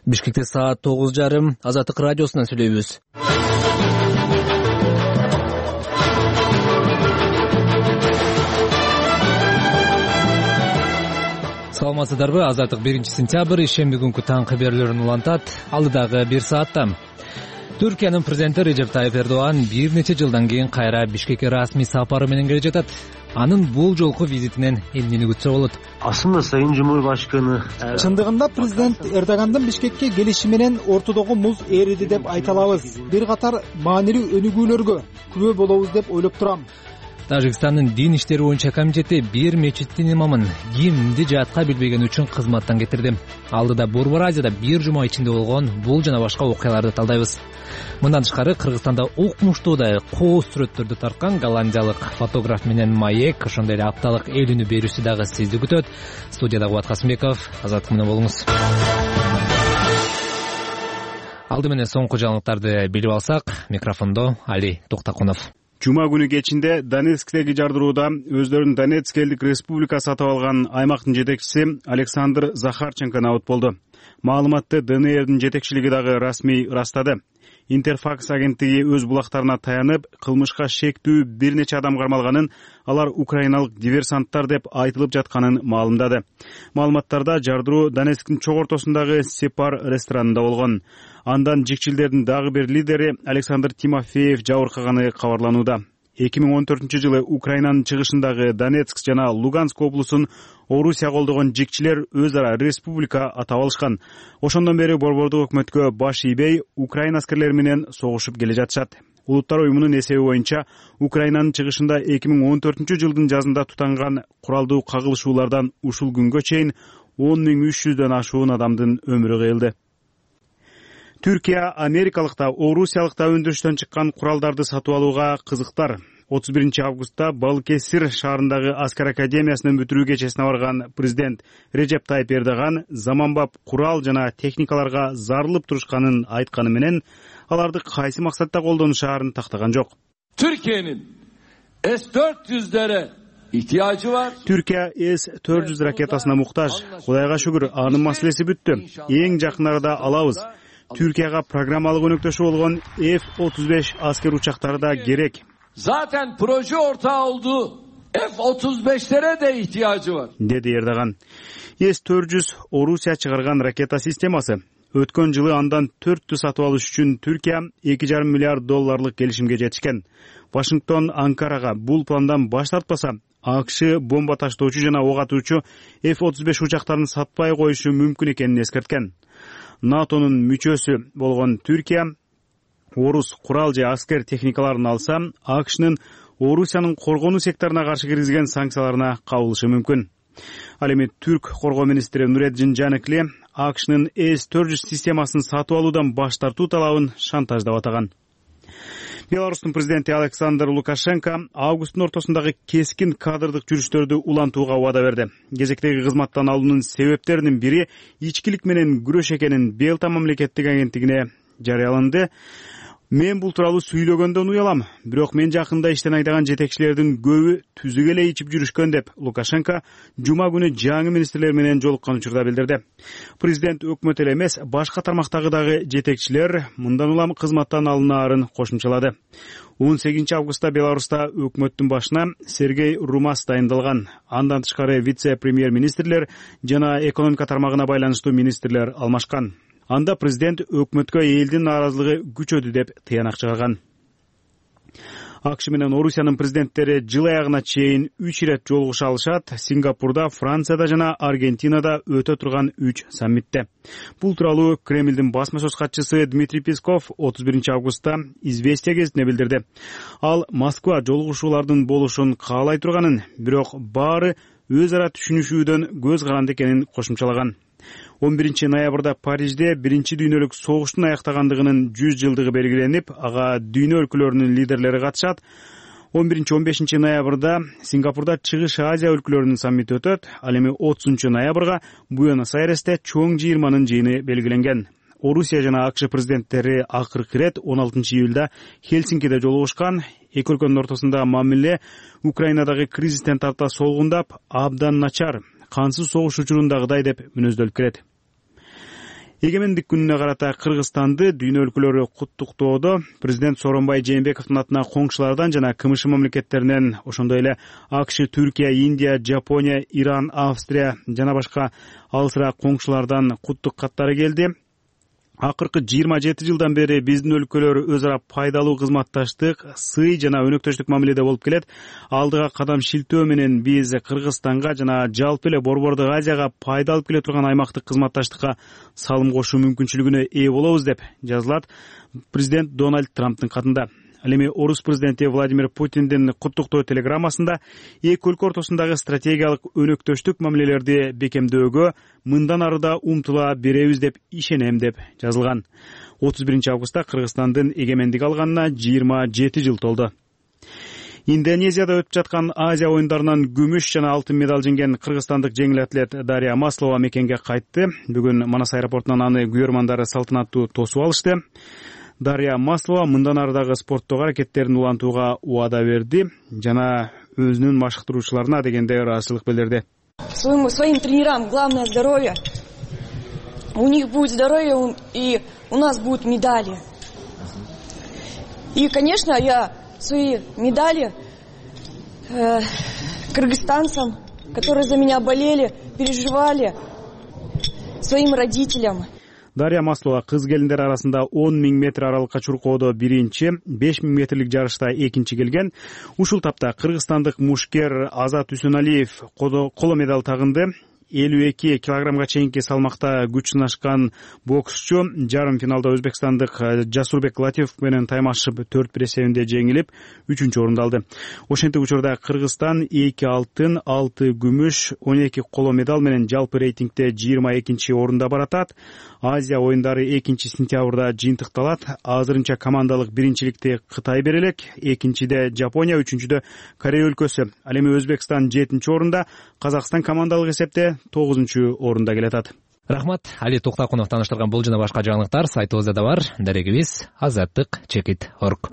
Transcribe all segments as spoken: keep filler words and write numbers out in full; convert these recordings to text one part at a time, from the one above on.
Бишкекте саат тогуз жарым. Азаттык радиосунан сүйлөйбүз. Саламатсыздарбы? Азаттык биринчи сентябрь ишемби күнкү таң кабарларын улантат. Алдыдагы бир саатта Түркиянын президенти Режеп Тайып Эрдоган бир нече жылдан кийин кайра Бишкекке расмий сапары менен келе жатат. Анын бул жолку визитинен эмнени күтсө болот? Aslında Sayın Cumhurbaşkanı Чындыгында президент Эрдогандын Бишкекке келиши менен ортодогу муз эриди деп айта алабыз. Бир катар маанилүү өнүгүүлөргө күбө болобуз деп ойлоп турам. Тажикстандын дин иштери боюнча комитети бир мечиттин имамын кимди жатка билбегени үчүн кызматтан кетирди. Алдыда Борбор Азияда бир жума ичинде болгон бул жана башка окуяларды талдайбыз. Мындан тышкары Кыргызстанда укмуштуудай кооз сүрөттөрдү тарткан голландиялык фотограф менен маек, ошондой эле апталык эл үнү берүүсү дагы сизди күтөт. Студияда Кубат Касымбеков, Азаттык менен болуңуз. Алды менен соңку жаңылыктарды билип алсак, микрофондо Али Токтакунов. Жума күнү кечинде Донецктеги жардырууда өздөрүн Донецк элдик республика сатып алган аймактын жетекчиси Александр Захарченко набыт болду. Маалыматты ДНРдин жетекчилиги дагы расмий ырастады. Интерфакс агенттиги өз булактарына таянып, кылмышка шектүү бир нече адам кармалганын, алар украиналык диверсанттар деп айтылып жатканын маалымдады. Маалыматтарда жардыруу Донецктин чок ортосундагы Сепар ресторанында болгон. Андан жикчилдердин дагы бир лидери Александр Тимофеев жабыркаганы кабарланууда. эки миң он төртүнчү жылы Украинанын чыгышындагы Донецк жана Луганск облусун Орусия колдогон жикчилер өз ара республика атап алышкан. Ошондон бери борбордук өкмөткө баш ийбей, Украина аскерлери менен согушуп келе жатышат. Улуттар уюмунун эсеби боюнча Украинанын чыгышында эки миң он төртүнчү жылдын жазында тутанган куралдуу кагылышуулардан ушул күнгө чейин он миң үч жүздөн ашуун адамдын өмүрү кыйылды. Түркия америкалыкта, орусиялыкта өндүрүштөн чыккан куралдарды сатып алууга кызыктар. отуз биринчи августта Балкесир шаарындагы аскер академиясынын бүтүрүү кечесине барган президент Режеп Тайып Эрдоган заманбап курал жана техникаларга зарылып турушканын айтканы менен, аларды кайсы максатта колдонушаарын тактаган жок. Türkiye'nin эс төрт жүздөрө ihtiyacı var. Түркия эс төрт жүз ракетасына муктаж. Кудайга шүгүр, анын маселеси бүттү. Эң жакын арада алабыз. Türkiye'ga программалык өнөктөшү болгон эф отуз беш аскер учактары да керек. Zaten proje ortağı olduğu эф отуз бештере de ihtiyacı var. Dedi Эрдоган. эс төрт жүз Орусия чыгарган ракета системасы. Өткөн жылы андан төрттү сатып алыш үчүн Түркия эки жарым миллиард долларлык келишимге жетишкен. Вашингтон Анкарага бул пландан баш тартпаса, АКШ бомба таштоочу жана ок атуучу эф отуз беш учактарын сатпай коюшу мүмкүн экенин эскерткен. НАТОнун мүчөсү болгон Түркия орус курал же аскер техникаларын алса, АКШнын Орусиянын коргонуу секторуна каршы киргизген санкцияларына кабылышы мүмкүн. Ал эми Түрк коргоо министри Нуреддин Жаныкли АКШнын эс төрт жүз системасын сатып алуудан баш тартуу талабын шантаждап атаган. Беларустун президенти Александр Лукашенко августтун ортосундагы кескин кадрдык жүрүштөрдү улантууга убада берди. Кезектеги кызматтан алуунун себептеринин бири ичкилик менен күрөш экенин Белта мамлекеттик агенттигине жарыяланды. Мен бул тууралуу сүйлөгөндөн уялам, бирок мен жакында иштен айдаган жетекчилердин көбү түзүк эле ичип жүрүшкөн деп Лукашенко жума күнү жаңы министрлер менен жолуккан учурда билдирди. Президент өкмөт эле эмес, башка тармактагы дагы жетекчилер мындан улам кызматтан алынаарын кошумчалады. он сегизинчи августта Беларуста өкмөттүн башына Сергей Румас дайындалган. Андан тышкары вице-премьер-министрлер жана экономика тармагына байланыштуу министрлер алмашкан. Анда президент өкмөткө элдин нааразылыгы күчөдү деп тыянак чыгарган. АКШ менен Орусиянын президенттери жыл аягына чейин үч ирет жолугуша алышат. Сингапурда, Францияда жана Аргентинада өтө турган үч саммитте. Бул тууралуу Кремлдин басма сөз катчысы Дмитрий Песков отуз биринчи августта Известия гезитине билдирди. Ал Москва жолугушуулардын болушун каалай турганын, бирок баары өз ара түшүнүшүүдөн көз каранды экенин кошумчалаган. он биринчи ноябрда Парижде биринчи дүйнөлүк согуштун аяктагандыгынын жүз жылдыгы белгиленип, ага дүйнө өлкөлөрүнүн лидерлери катышат. он биринчи он бешинчи ноябрда Сингапурда Чыгыш Азия өлкөлөрүнүн саммити өтөт. Ал эми отузунчу ноябрга Буэнос-Айресте чоң жыйырманын жыйыны белгиленген. Орусия жана АКШ президенттери акыркы ирет он алтынчы июлда Хельсинкиде жолугушкан. Эки өлкөнүн ортосунда мамиле Украинадагы кризистен тарта солгундап, абдан начар, кансыз согуш учурундагыдай деп мүнөздөлүп келет. Эгемендик күнүнө карата Кыргызстанды дүйнө өлкөлөрү куттуктоодо президент Сооронбай Жээнбековдун атына коңшулардан жана КМШ мамлекеттеринен, ошондой эле АКШ, Түркия, Индия, Жапония, Иран, Австрия жана башка алысыраак коңшулардан куттук каттары келди. Акыркы жыйырма жети жылдан бери биздин өлкөлөр өз ара пайдалуу кызматташтык, сый жана өнөктөштүк мамиледе болуп келет. Алдыга кадам шилтөө менен биз Кыргызстанга жана жалпы эле Борбордук Азияга пайда алып келе турган аймактык кызматташтыкка салым кошуу мүмкүнчүлүгүнө ээ болобуз деп жазылат президент Дональд Трамптын катында. Ал эми орус президенти Владимир Путиндин куттуктоо телеграммасында эки өлкө ортосундагы стратегиялык өнөктөштүк мамилелерди бекемдөөгө мындан ары да умтула беребиз деп ишенем деп жазылган. отуз биринчи августта Кыргызстандын эгемендик алганына жыйырма жети жыл толду. Индонезияда өтүп жаткан Азия оюндарынан күмүш жана алтын медаль жеңген кыргызстандык жеңил атлет Дарья Маслова мекенге кайтты. Бүгүн Манас аэропортунан аны күйөрмандары салтанаттуу тосуп алышты. Дарья Маслова мындан ардагы спорттогу аракеттерин улантууга убада берди жана өзүнүн машыктыруучуларына дегенде ыраазычылык билдирди. Своим, своим тренерам главное здоровье. У них будет здоровье, и у нас будут медали. И, конечно, я свои медали э, кыргызстанцам, которые за меня болели, переживали, своим родителям. Дарья Маслова кыз келиндер арасында он миң метр аралыкка чуркоодо биринчи, беш миң метрлик жарышта экинчи келген. Ушул тапта кыргызстандык мушкер Азат Үсөналиев коло медаль тагынды. элүү эки килограммга чейинки салмакта күч сынашкан боксчу жарым финалда өзбекстандык Жасурбек Латифов менен таймашып төрт бир эсебинде жеңилип үчүнчү орунду алды. Ошентип учурда Кыргызстан эки алтын, алты күмүш, он эки коло медаль менен жалпы рейтингде жыйырма экинчи орунда баратат. Азия оюндары экинчи сентябрда жыйынтыкталат. Азырынча командалык биринчиликти Кытай берелек, экинчиде Жапония, үчүнчүдө Корея өлкөсү. Ал эми Өзбекстан жетинчи орунда, Казакстан командалык эсепте тогузунчу орунда келатат. Рахмат. Али Токтакунов тааныштырган бул жана башка жаңылыктар сайтыбызда да бар. Дарегибиз азаттык чекит точка орг.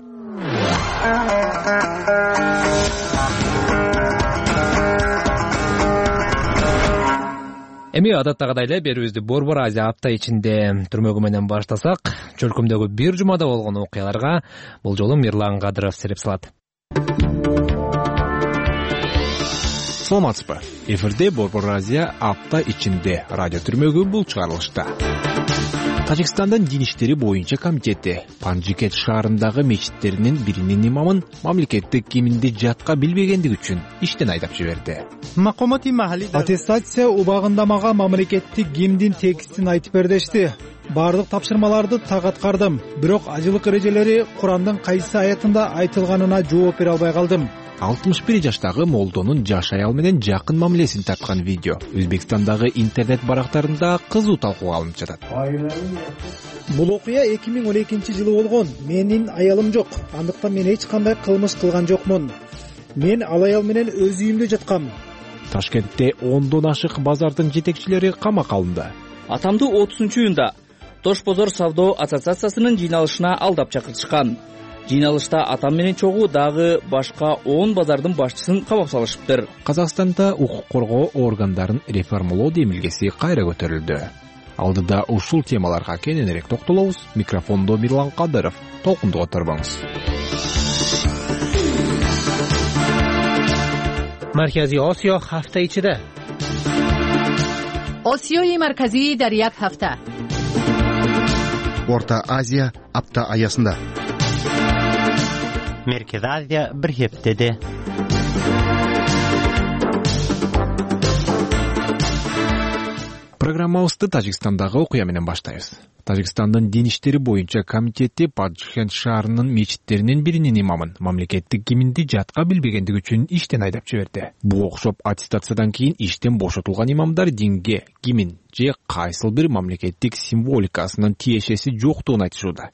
Эми адаттагыдай эле берүүбүздү Борбор Азия апта ичинде түрмөгү менен баштасак, чөлкөмдөгү бир жумада болгон окуяларга бул жолу Мирлан Кадыров сереп салат. Саламатсызбы. Эфирде Борбор Азия апта ичинде радио түрмөгү бул чыгарылышта. Тажикстандын Дин иштери боюнча комитети Панжикет шаарындагы мечиттеринин биринин имамын мамлекеттик киминди жатка билбегендиги үчүн иштен айдап жиберди. Аттестация убагындамага мамлекеттик гимндин текстин айтып бердешти. Бардык тапшырмаларды так аткардым, бирок ажылык эрежелери Курандын кайсы аятында айтылганына жооп бере албай калдым. алтымыш бир жаштагы молдонун жаш аял менен жакын мамилесин тарткан видео Өзбекстандагы интернет барактарында кызуу талкууга алынып жатат. Бул окуя эки миң он экинчи жылы болгон. Менин аялым жок, андыктан мен эч кандай кылмыш кылган жокмун. Мен ал аял менен өз үйүмдө жаткам. Ташкентте ондон ашык базардын жетекчилери камакка алынды. Атамды отузунчу июнда Тош бозор савдо ассоциациясынын жыйналышына алдап чакыртышкан. Жыйналышта атам менен чогуу дагы башка он базардын башчысын камап салышыптыр. Казакстанда укук коргоо органдарын реформалоо демилгеси кайра көтөрүлдү. Алдыда ушул темаларга кененирээк токтолобуз. Микрофондо Мирлан Кадыров. Толкундуга турбаңыз. Маркази Осиё ҳафта ичиде. Осиёи марказӣ дар як ҳафта. Орта Азия апта аясында. Merkez Азия bir heftede. Программабызды Тажикстандагы окуя менен баштайбыз. Тажикстандын Дин иштери боюнча комитети Панжикет шаарынын мечиттеринин биринин имамын мамлекеттик киминди жатка билбегендиги үчүн иштен айдап жиберди. Буга окшоп аттестациядан кийин иштен бошотулган имамдар динге, кимин же кайсыл бир мамлекеттик символикасынын тиешеси жоктугун айтышууда.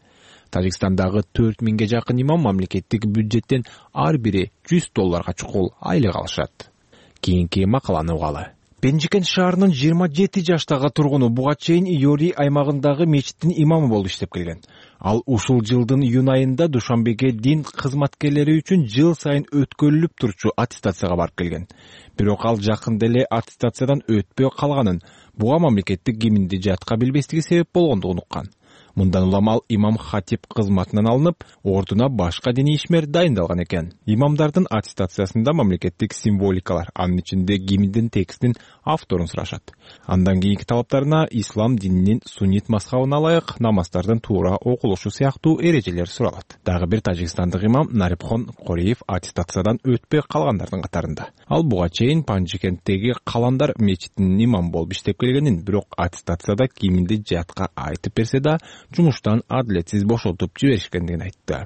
Тажикстандагы төрт миңге жакын имам мамлекеттик бюджеттен ар бири жүз долларга чукул айлык алышат. Кийинки макаланы угалы. Пенжикент шаарынын жыйырма жети жаштагы тургуну буга чейин Йори аймагындагы мечиттин имамы болуп иштеп келген. Ал ушул жылдын июнь айында Душанбеге дин кызматкерлери үчүн жыл сайын өткөрүлүп турчу аттестацияга барып келген. Бирок ал жакында эле аттестациядан өтпөй калганын, Буга мамлекеттик гимнди жатка билбестиги себеп болгондугун уккан. Мындан улам ал имам хатип кызматынан алынып, ордуна башка диний ишмер дайындалган экен. Имамдардын аттестациясында мамлекеттик символикалар, анын ичинде гимндин текстин авторун сурашат. Андан кийинки талаптарына ислам дининин суннит мазхабына ылайык намаздардын туура окулушу сыяктуу эрежелер суралат. Дагы бир тажикстандык имам Нарипхон Кореев аттестациядан өтпөй калгандардын катарында. Ал буга чейин Панжикенттеги Каландар мечитинин имамы болуп иштеп келгенин, бирок аттестацияда гимнди жатка айтып берсе да жумуштан адилетсиз бошотуп жиберишкендигин айтты.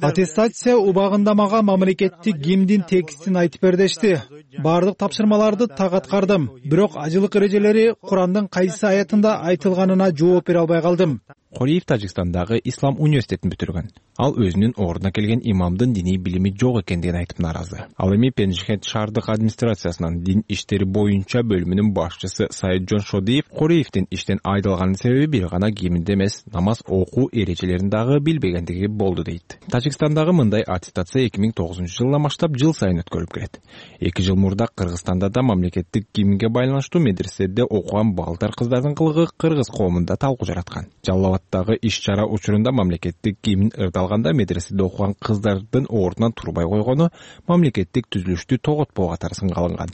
Аттестация убагында мага мамлекеттик гимндин текстин айтып бер дешти. Бардык тапшырмаларды так аткардым, бирок ажылык эрежелери Курандын кайсы аятында айтылганына жооп бере албай калдым. Кореев Тажикстандагы Ислам университетин бүтүргөн. Ал өзүнүн ордуна келген имамдын диний билими жок экендигин айтып наразы. Ал эми Пенжихет шаардык администрациясынын дин иштери боюнча бөлүмүнүн башчысы Сайыджон Шодиев Кореевдин иштен айдалганын себеби бир гана гимнди эмес, намаз окуу эрежелерин дагы билбегендиги болду дейт. Тажикстандагы мындай аттестация эки миң тогузунчу жылдан баштап жыл сайын өткөрүлүп келет. эки жыл мурда Кыргызстанда да мамлекеттик гимнге байланыштуу медреседе окуган балдар кыздардын кылыгы кыргыз коомунда талкуу жараткан. Жалалабаддагы иш-чара учурунда мамлекеттик гимн ырдалганда медреседе окуган кыздардын ордунан турбай койгону мамлекеттик түзүлүштү тоготпоо катары сынга алынган.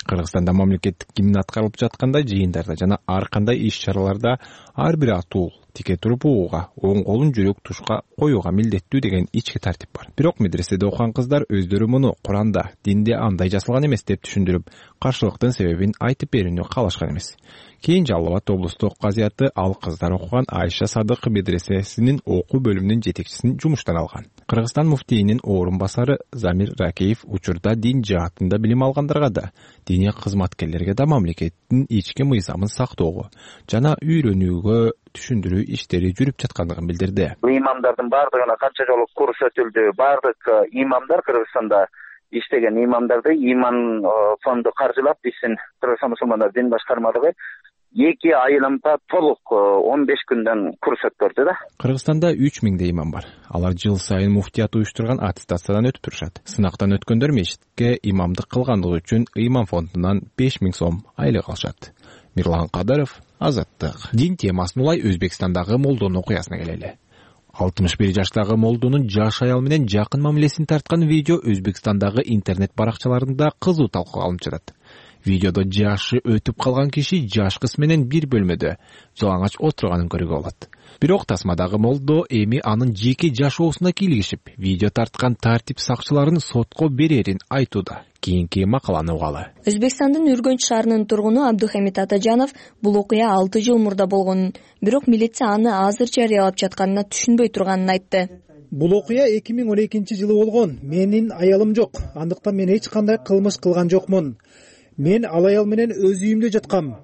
Кыргызстанда мамлекеттик гимн аткарылып жатканда жыйындарда жана ар кандай иш-чараларда ар бир атуу тике туруп угууга, оң колун жүрөк тушка коюуга милдеттүү деген ички тартип бар. Бирок медреседе окуган кыздар өздөрү муну Куранда, динде андай жасалган эмес деп түшүндүрүп, каршылыктын себебин айтып берүүнү каалашкан эмес. Кийин Жалал-Абад облустук казыяты ал кыздар окуган Айша Садык медресесинин окуу бөлүмүнүн жетекчисин жумуштан алган. Кыргызстан муфтийинин орун басары Замир Ракеев учурда дин жаатында билим алгандарга да, диний кызматкерлерге да мамлекеттин ички мыйзамын сактоого жана үйрөнүүгө түшүндүрүү иштери жүрүп жаткандыгын билдирди. Имамдардын бардыгына канча жолу курс өтүлдү. Бардык имамдар Кыргызстанда иштеген имамдарды иман фонду каржылап, биздин Кыргызстан мусулмандар дин башкармалыгы эки айлампа толук он беш күндөн курс өткөрдү да. Кыргызстанда үч миңдей имам бар. Алар жыл сайын муфтият уюштурган аттестациядан өтүп турушат. Сынактан өткөндөр мечитке имамдык кылгандыгы үчүн имам фондунан беш миң сом айлык алышат. Мирлан Кадыров, Азаттык. Дин темасын улай Өзбекстандагы молдонун окуясына келели. алтымыш бир жаштагы молдонун жаш аял менен жакын мамилесин тарткан видео Өзбекстандагы интернет баракчаларында кызуу талкууга алынып жатат. Видеодо жашы өтүп калган киши жаш кыз менен бир бөлмөдө жалаңач отурганын көрүүгө болот. Бирок тасмадагы молдо эми анын жеке жашоосуна кийлигишип, видео тарткан тартип сакчыларын сотко берерин айтууда. Кийинки макаланы угалы. Өзбекстандын Үргөнч шаарынын тургуну Абдухамид Атажанов бул окуя алты жыл мурда болгонун, бирок милиция аны азыр жарыялап жатканына түшүнбөй турганын айтты. Бул окуя эки миң он экинчи жылы болгон. Менин аялым жок. Андыктан мен эч кандай кылмыш кылган жокмун. Мен ал аял менен өз үйүмдө жаткам.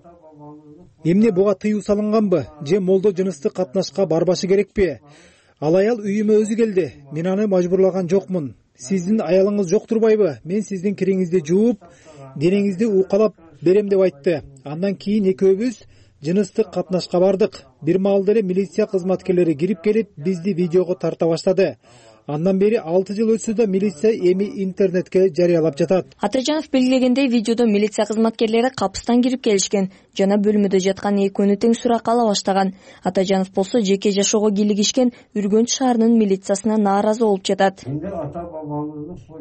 Эмне буга тыюу салынганбы? Же молдо жыныстык катнашка барбашы керекпи? Ал аял үйүмө өзү келди. Мен аны мажбурлаган жокмун. Сиздин аялыңыз жок турбайбы? Мен сиздин кириңизди жууп, денеңизди укалап берем деп айтты. Андан кийин экөөбүз жыныстык катнашка бардык. Бир маалда эле милиция кызматкерлери кирип келип, бизди видеого тарта баштады. Андан бери алты жыл өтсө да милиция эми интернетке жарыялап жатат. Атажанов белгилегендей, видеодо милиция кызматкерлери капыстан кирип келишкен, жана бөлмөдө жаткан экөөнү тең суракка ала баштаган. Атажанов болсо жеке жашоого кийлигишкен Үргөнч шаарынын милициясына нааразы болуп жатат.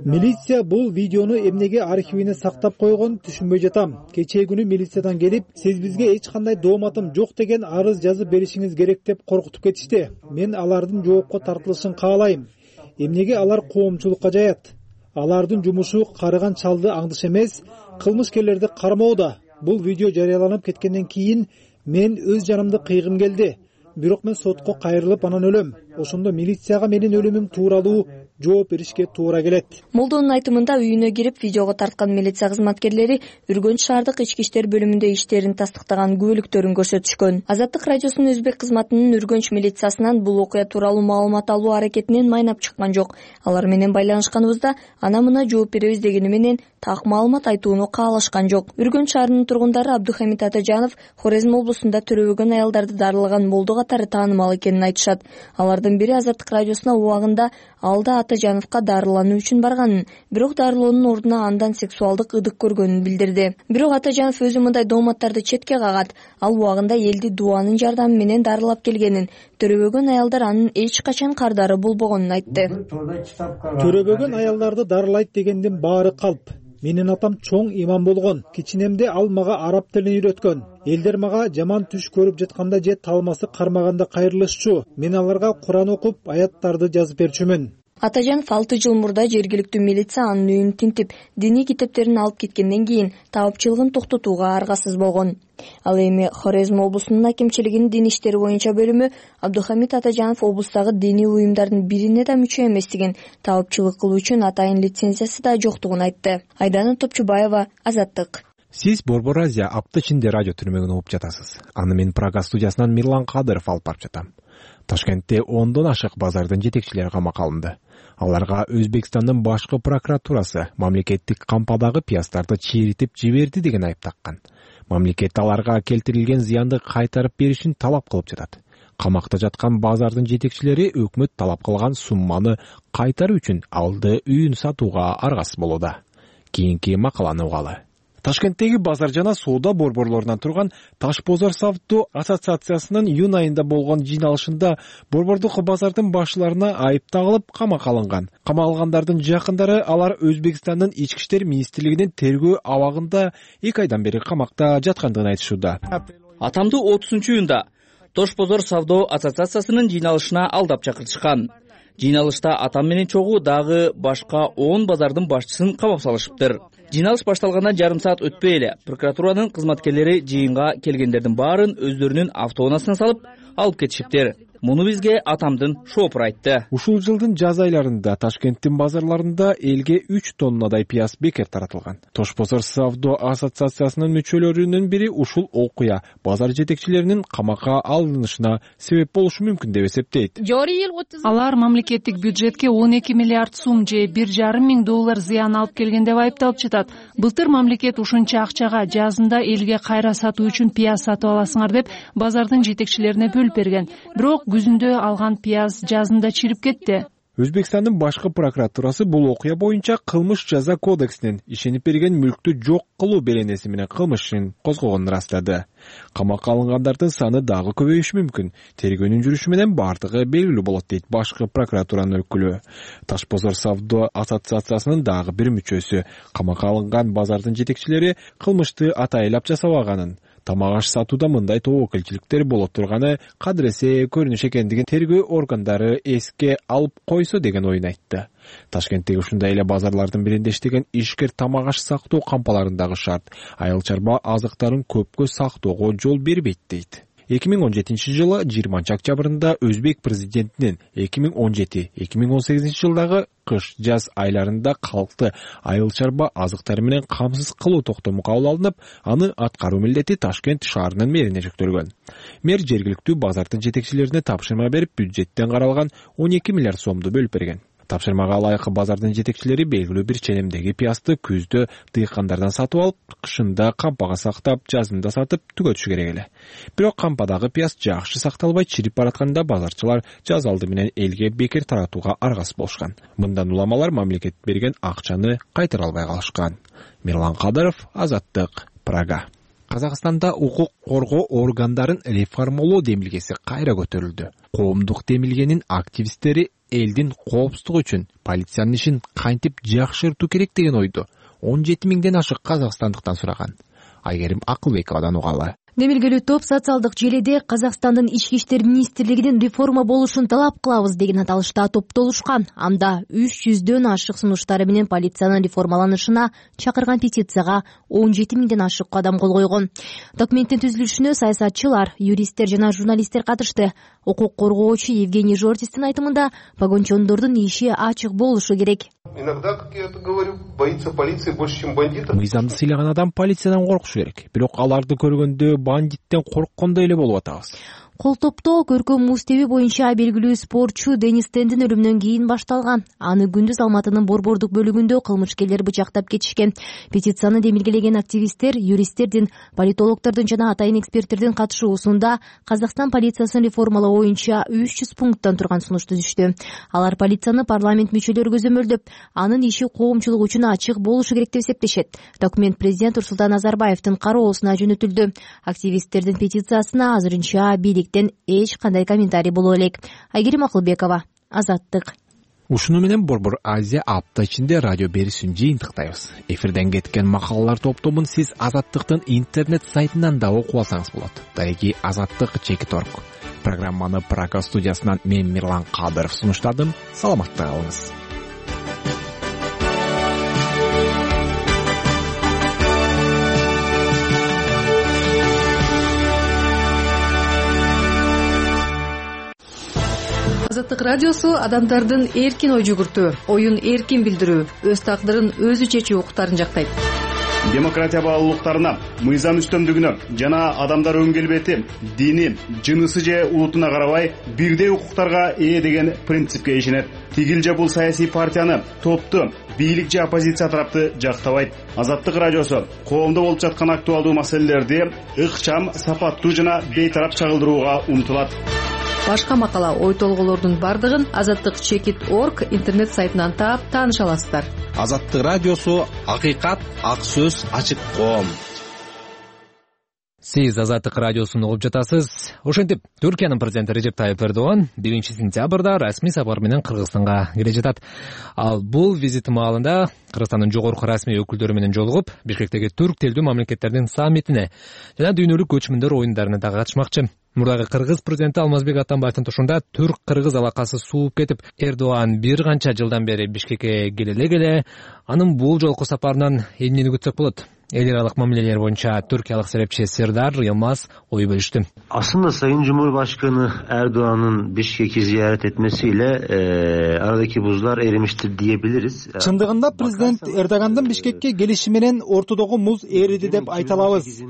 Милиция бул видеону эмнеге архивине сактап койгон түшүнбөй жатам. Кечээ күнү милициядан келип, сиз бизге эч кандай дооматым жок деген арыз жазып беришиңиз керек деп коркутуп кетишти. Мен алардын жоопко тартылышын каалайм. Эмнеге алар коомчулукка жаят? Алардын жумушу карыган чалды аңдыш эмес, кылмышкерлерди кармоо да. Бул видео жарыяланып кеткенден кийин мен өз жанымды кыйгым келди. Бирок мен сотко кайрылып анан өлөм. Ошондо милицияга менин өлүмүм тууралуу жооп беришке туура келет. Молдонун айтымында үйүнө кирип видеого тарткан милиция кызматкерлери Үргөнч шаардык ички иштер бөлүмүндө иштерин тастыктаган күбөлүктөрүн көрсөтүшкөн. Азаттык радиосунун өзбек кызматынын Үргөнч милициясынан бул окуя тууралуу маалымат алуу аракетинен майнап чыккан жок. Алар менен байланышканыбызда ана мына жооп беребиз дегени менен так маалымат айтууну каалашкан жок. Үргөнч шаарынын тургундары Абдухамит Атажанов Хорезм облусунда төрөбөгөн аялдарды дарылаган молдо катары таанымал экенин айтышат. Алардын бири Азаттык радиосуна убагында алда Атажановго дарылануу үчүн барганын, бирок дарылоонун ордуна андан сексуалдык ыдык көргөнүн билдирди. Бирок Атажанов өзү мындай дооматтарды четке кагат. Ал убагында элди дуанын жардамы менен дарылап келгенин, төрөбөгөн аялдар анын эч качан кардары болбогонун айтты. Төрөбөгөн аялдарды дарылайт дегендин баары калп. Менин атам чоң имам болгон. Кичинемде ал мага араб тилин үйрөткөн. Элдер мага жаман түш көрүп жатканда же талмасы кармаганда кайрылышчу. Мен аларга Куран окуп, аяттарды жазып берчүмүн. Атажанов алты жыл мурда жергиликтүү милиция анын үйүн тинтип, диний китептерин алып кеткенден кийин таапчылыгын токтотууга аргасыз болгон. Ал эми Хорезм облусунун акимчилигинин дин иштери боюнча бөлүмү Абдухамит Атажанов облустагы диний уюмдардын бирине да мүчө эместигин, таапчылык кылуу үчүн атайын лицензиясы да жоктугун айтты. Айдана Топчубаева, Азаттык. Сиз Борбор Азия апта ичинде радио түрмөгүн угуп жатасыз. Аны мен Прага студиясынан Мирлан Кадыров алып барып жатам. Ташкентте ондон ашык базардын жетекчилери камакка алынды. Аларга Өзбекстандын башкы прокуратурасы мамлекеттик кампадагы пияздарды чииритип жиберди деген айып таккан. Мамлекет аларга келтирилген зыянды кайтарып беришин талап кылып жатат. Камакта жаткан базардын жетекчилери өкмөт талап кылган сумманы кайтаруу үчүн алды үйүн сатууга аргасыз болууда. Кийинки макаланы угалы. Ташкенттеги базар жана соода борборлорунан турган Таш бозор савдо ассоциациясынын июнь айында болгон жыйналышында борбордук базардын башчыларына айып тагылып камакка алынган. Камалгандардын жакындары алар Өзбекстандын ички иштер министрлигинин тергөө абагында эки айдан бери камакта жаткандыгын айтышууда. Атамды отузунчу июнда Тош бозор савдо ассоциациясынын жыйналышына алдап чакыртышкан. Жыйналышта атам менен чогуу дагы башка он базардын башчысын камап салышыптыр. Жыйналыш башталгандан жарым саат өтпөй эле прокуратуранын кызматкерлери жыйынга келгендердин баарын өздөрүнүн автоунаасына салып алып кетишиптир. Муну бизге атамдын шоопуру айтты. Ушул жылдын жаз айларында Ташкенттин базарларында элге үч тоннадай пияз бекер таратылган. Тош бозор савдо ассоциациясынын мүчөлөрүнүн бири ушул окуя базар жетекчилеринин камакка алынышына себеп болушу мүмкүн деп эсептейт. Алар мамлекеттик бюджетке он эки миллиард сум же бир жарым миң доллар зыян алып келген деп айыпталып жатат. Былтыр мамлекет ушунча акчага жазында элге кайра сатуу үчүн пияз сатып аласыңар деп базардын жетекчилерине бөлүп берген. Бирок күзүндө алган пияз жазында чирип кетти. Өзбекстандын башкы прокуратурасы бул окуя боюнча кылмыш жаза кодексинин ишенип берген мүлктү жок кылуу беренеси менен кылмыш ишин козгогонун ырастады. Камакка алынгандардын саны дагы көбөйүшү мүмкүн. Тергөөнүн жүрүшү менен бардыгы белгилүү болот дейт башкы прокуратуранын өкүлү. Таш бозор савдо ассоциациясынын дагы бир мүчөсү камакка алынган базардын жетекчилери кылмышты атайлап жасабаганын, тамак аш сатууда мындай тобокелчиликтер боло турганы кадыресе көрүнүш экендигин тергөө органдары эске алып койсо деген оюн айтты. Ташкенттеги ушундай эле базарлардын биринде иштеген ишкер тамак аш сактоо кампаларындагы шарт айыл чарба азыктарын көпкө сактоого жол бербейт дейт. эки миң он жетинчи жылы жыйырманчы октябрында Өзбек президентинин эки миң он жети эки миң он сегизинчи жылдагы кыш жаз айларында калкты айыл чарба азыктары менен камсыз кылуу токтому кабыл алынып, аны аткаруу милдети Ташкент шаарынын мэрине жүктөлгөн. Мэр жергиликтүү базардын жетекчилерине тапшырма берип, бюджеттен каралган он эки миллиард сомду бөлүп берген. Тапшырмага ылайык базардын жетекчилери белгилүү бир ченемдеги пиязды күздө дыйкандардан сатып алып, кышында кампага сактап, жазында сатып түгөтүшү керек эле. Бирок кампадагы пияз жакшы сакталбай чирип баратканда базарчылар жаз алды менен элге бекер таратууга аргасыз болушкан. Мындан уламалар мамлекет берген акчаны кайтара албай калышкан. Мирлан Кадыров, Азаттык, Прага. Казакстанда укук коргоо органдарын реформалоо демилгеси кайра көтөрүлдү. Коомдук демилгенин активисттери элдин коопсуздугу үчүн полициянын ишин кантип жакшыртуу керек деген ойду он жети миңден ашык казакстандыктан сураган. Айгерим Акылбековадан угалы. Демилгелүү топ социалдык желиде Казакстандын ички иштер министрлигинин реформа болушун талап кылабыз деген аталышта топтолушкан. Анда үч жүздөн ашык сунуштары менен полициянын реформаланышына чакырган петицияга он жети миңден ашык адам кол койгон. Документтин түзүлүшүнө саясатчылар, юристтер жана журналисттер катышты. Укук коргоочу Евгений Жортистин айтымында погончондордун иши ачык болушу керек. Иногда, как я это говорю, боится полиции больше, чем бандитов. Мыйзамды сыйлаган адам полициядан коркушу керек. Бирок аларды көргөндө бандиттен корккондой эле болуп атабыз. Кол топтоо көркөм муз теби боюнча белгилүү спортчу Денис Тендин өлүмүнөн кийин башталган. Аны күндүз Алматынын Борбордук бөлүгүндө кылмышкерлер бычактап кетишкен. Петицияны демилгелеген активисттер, юристтердин, политологдордун жана атайын эксперттердин катышуусунда Казакстан полициясын реформалоо боюнча үч жүз пункттан турган сунуш түзүштү. Алар полицияны парламент мүчөлөрү көзөмөлдөп, анын иши коомчулук үчүн ачык болушу керек деп эсептешет. Документ президент Нурсултан Назарбаевдин кароосуна жөнөтүлдү. Активисттердин петициясына азырынча бийликтен эч кандай комментарий боло элек. Айгерим Акылбекова, Азаттык. Ушуну менен Борбор Азия апта ичинде радио берүүсүн жыйынтыктайбыз. Эфирден кеткен макалалар топтомун сиз Азаттыктын интернет сайтынан да окуп алсаңыз болот. Дареги Азаттык чекит точка орг. Программаны Прага студиясынан мен Мирлан Кадыров сунуштадым. Саламатта калыңыз. Азаттык радиосу адамдардын эркин ой жүгүртүү, оюн эркин билдирүү, өз тагдырын өзү чечүү укуктарын жактайт. Демократия баалуулуктарына, мыйзам үстөмдүгүнө жана адамдар өң келбети, дини, жынысы же улутуна карабай бирдей укуктарга ээ деген принципке ишенет. Тигил же бул саясий партияны, топту, бийлик же оппозиция тарапты жактабайт. Азаттык радиосу коомдо болуп жаткан актуалдуу маселелерди ыкчам, сапаттуу жана бейтарап чагылдырууга умтулат. Башка макала, ой толголордун бардыгын азаттык чекит точка орг интернет сайтынан таап тааныша аласыздар. Азаттык радиосу акыйкат, ак сөз, ачык коом. Сиз Азаттык радиосун угуп жатасыз. Ошентип, Түркиянын президенти Режеп Тайып Эрдоган биринчи сентябрда расмий сапар менен Кыргызстанга келе жатат. Ал бул визит маалында Кыргызстандын жогорку расмий өкүлдөрү менен жолугуп, Бишкектеги түрк тилдүү мамлекеттердин саммитине жана дүйнөлүк көчмөндөр оюндарына да катышмакчы. Мурдагы Кыргыз президенти Алмазбек Атамбаевдин тушунда түрк-кыргыз алакасы сууп кетип, Эрдоган бир канча жылдан бери Бишкекке келе келе, анын бул жолку сапарынан эмнени күтсөк болот? Эл аралык мамилелер боюнча түркиялык серепчи Сердар Йылмаз ой бөлүштү. Aslında Sayın Cumhurbaşkanı Erdoğan'ın Bişkek'i ziyaret etmesiyle e, aradaki buzlar erimiştir diyebiliriz. Чындыгында президент Эрдогандын Бишкекке келиши менен ортодогу муз эриди деп айта алабыз.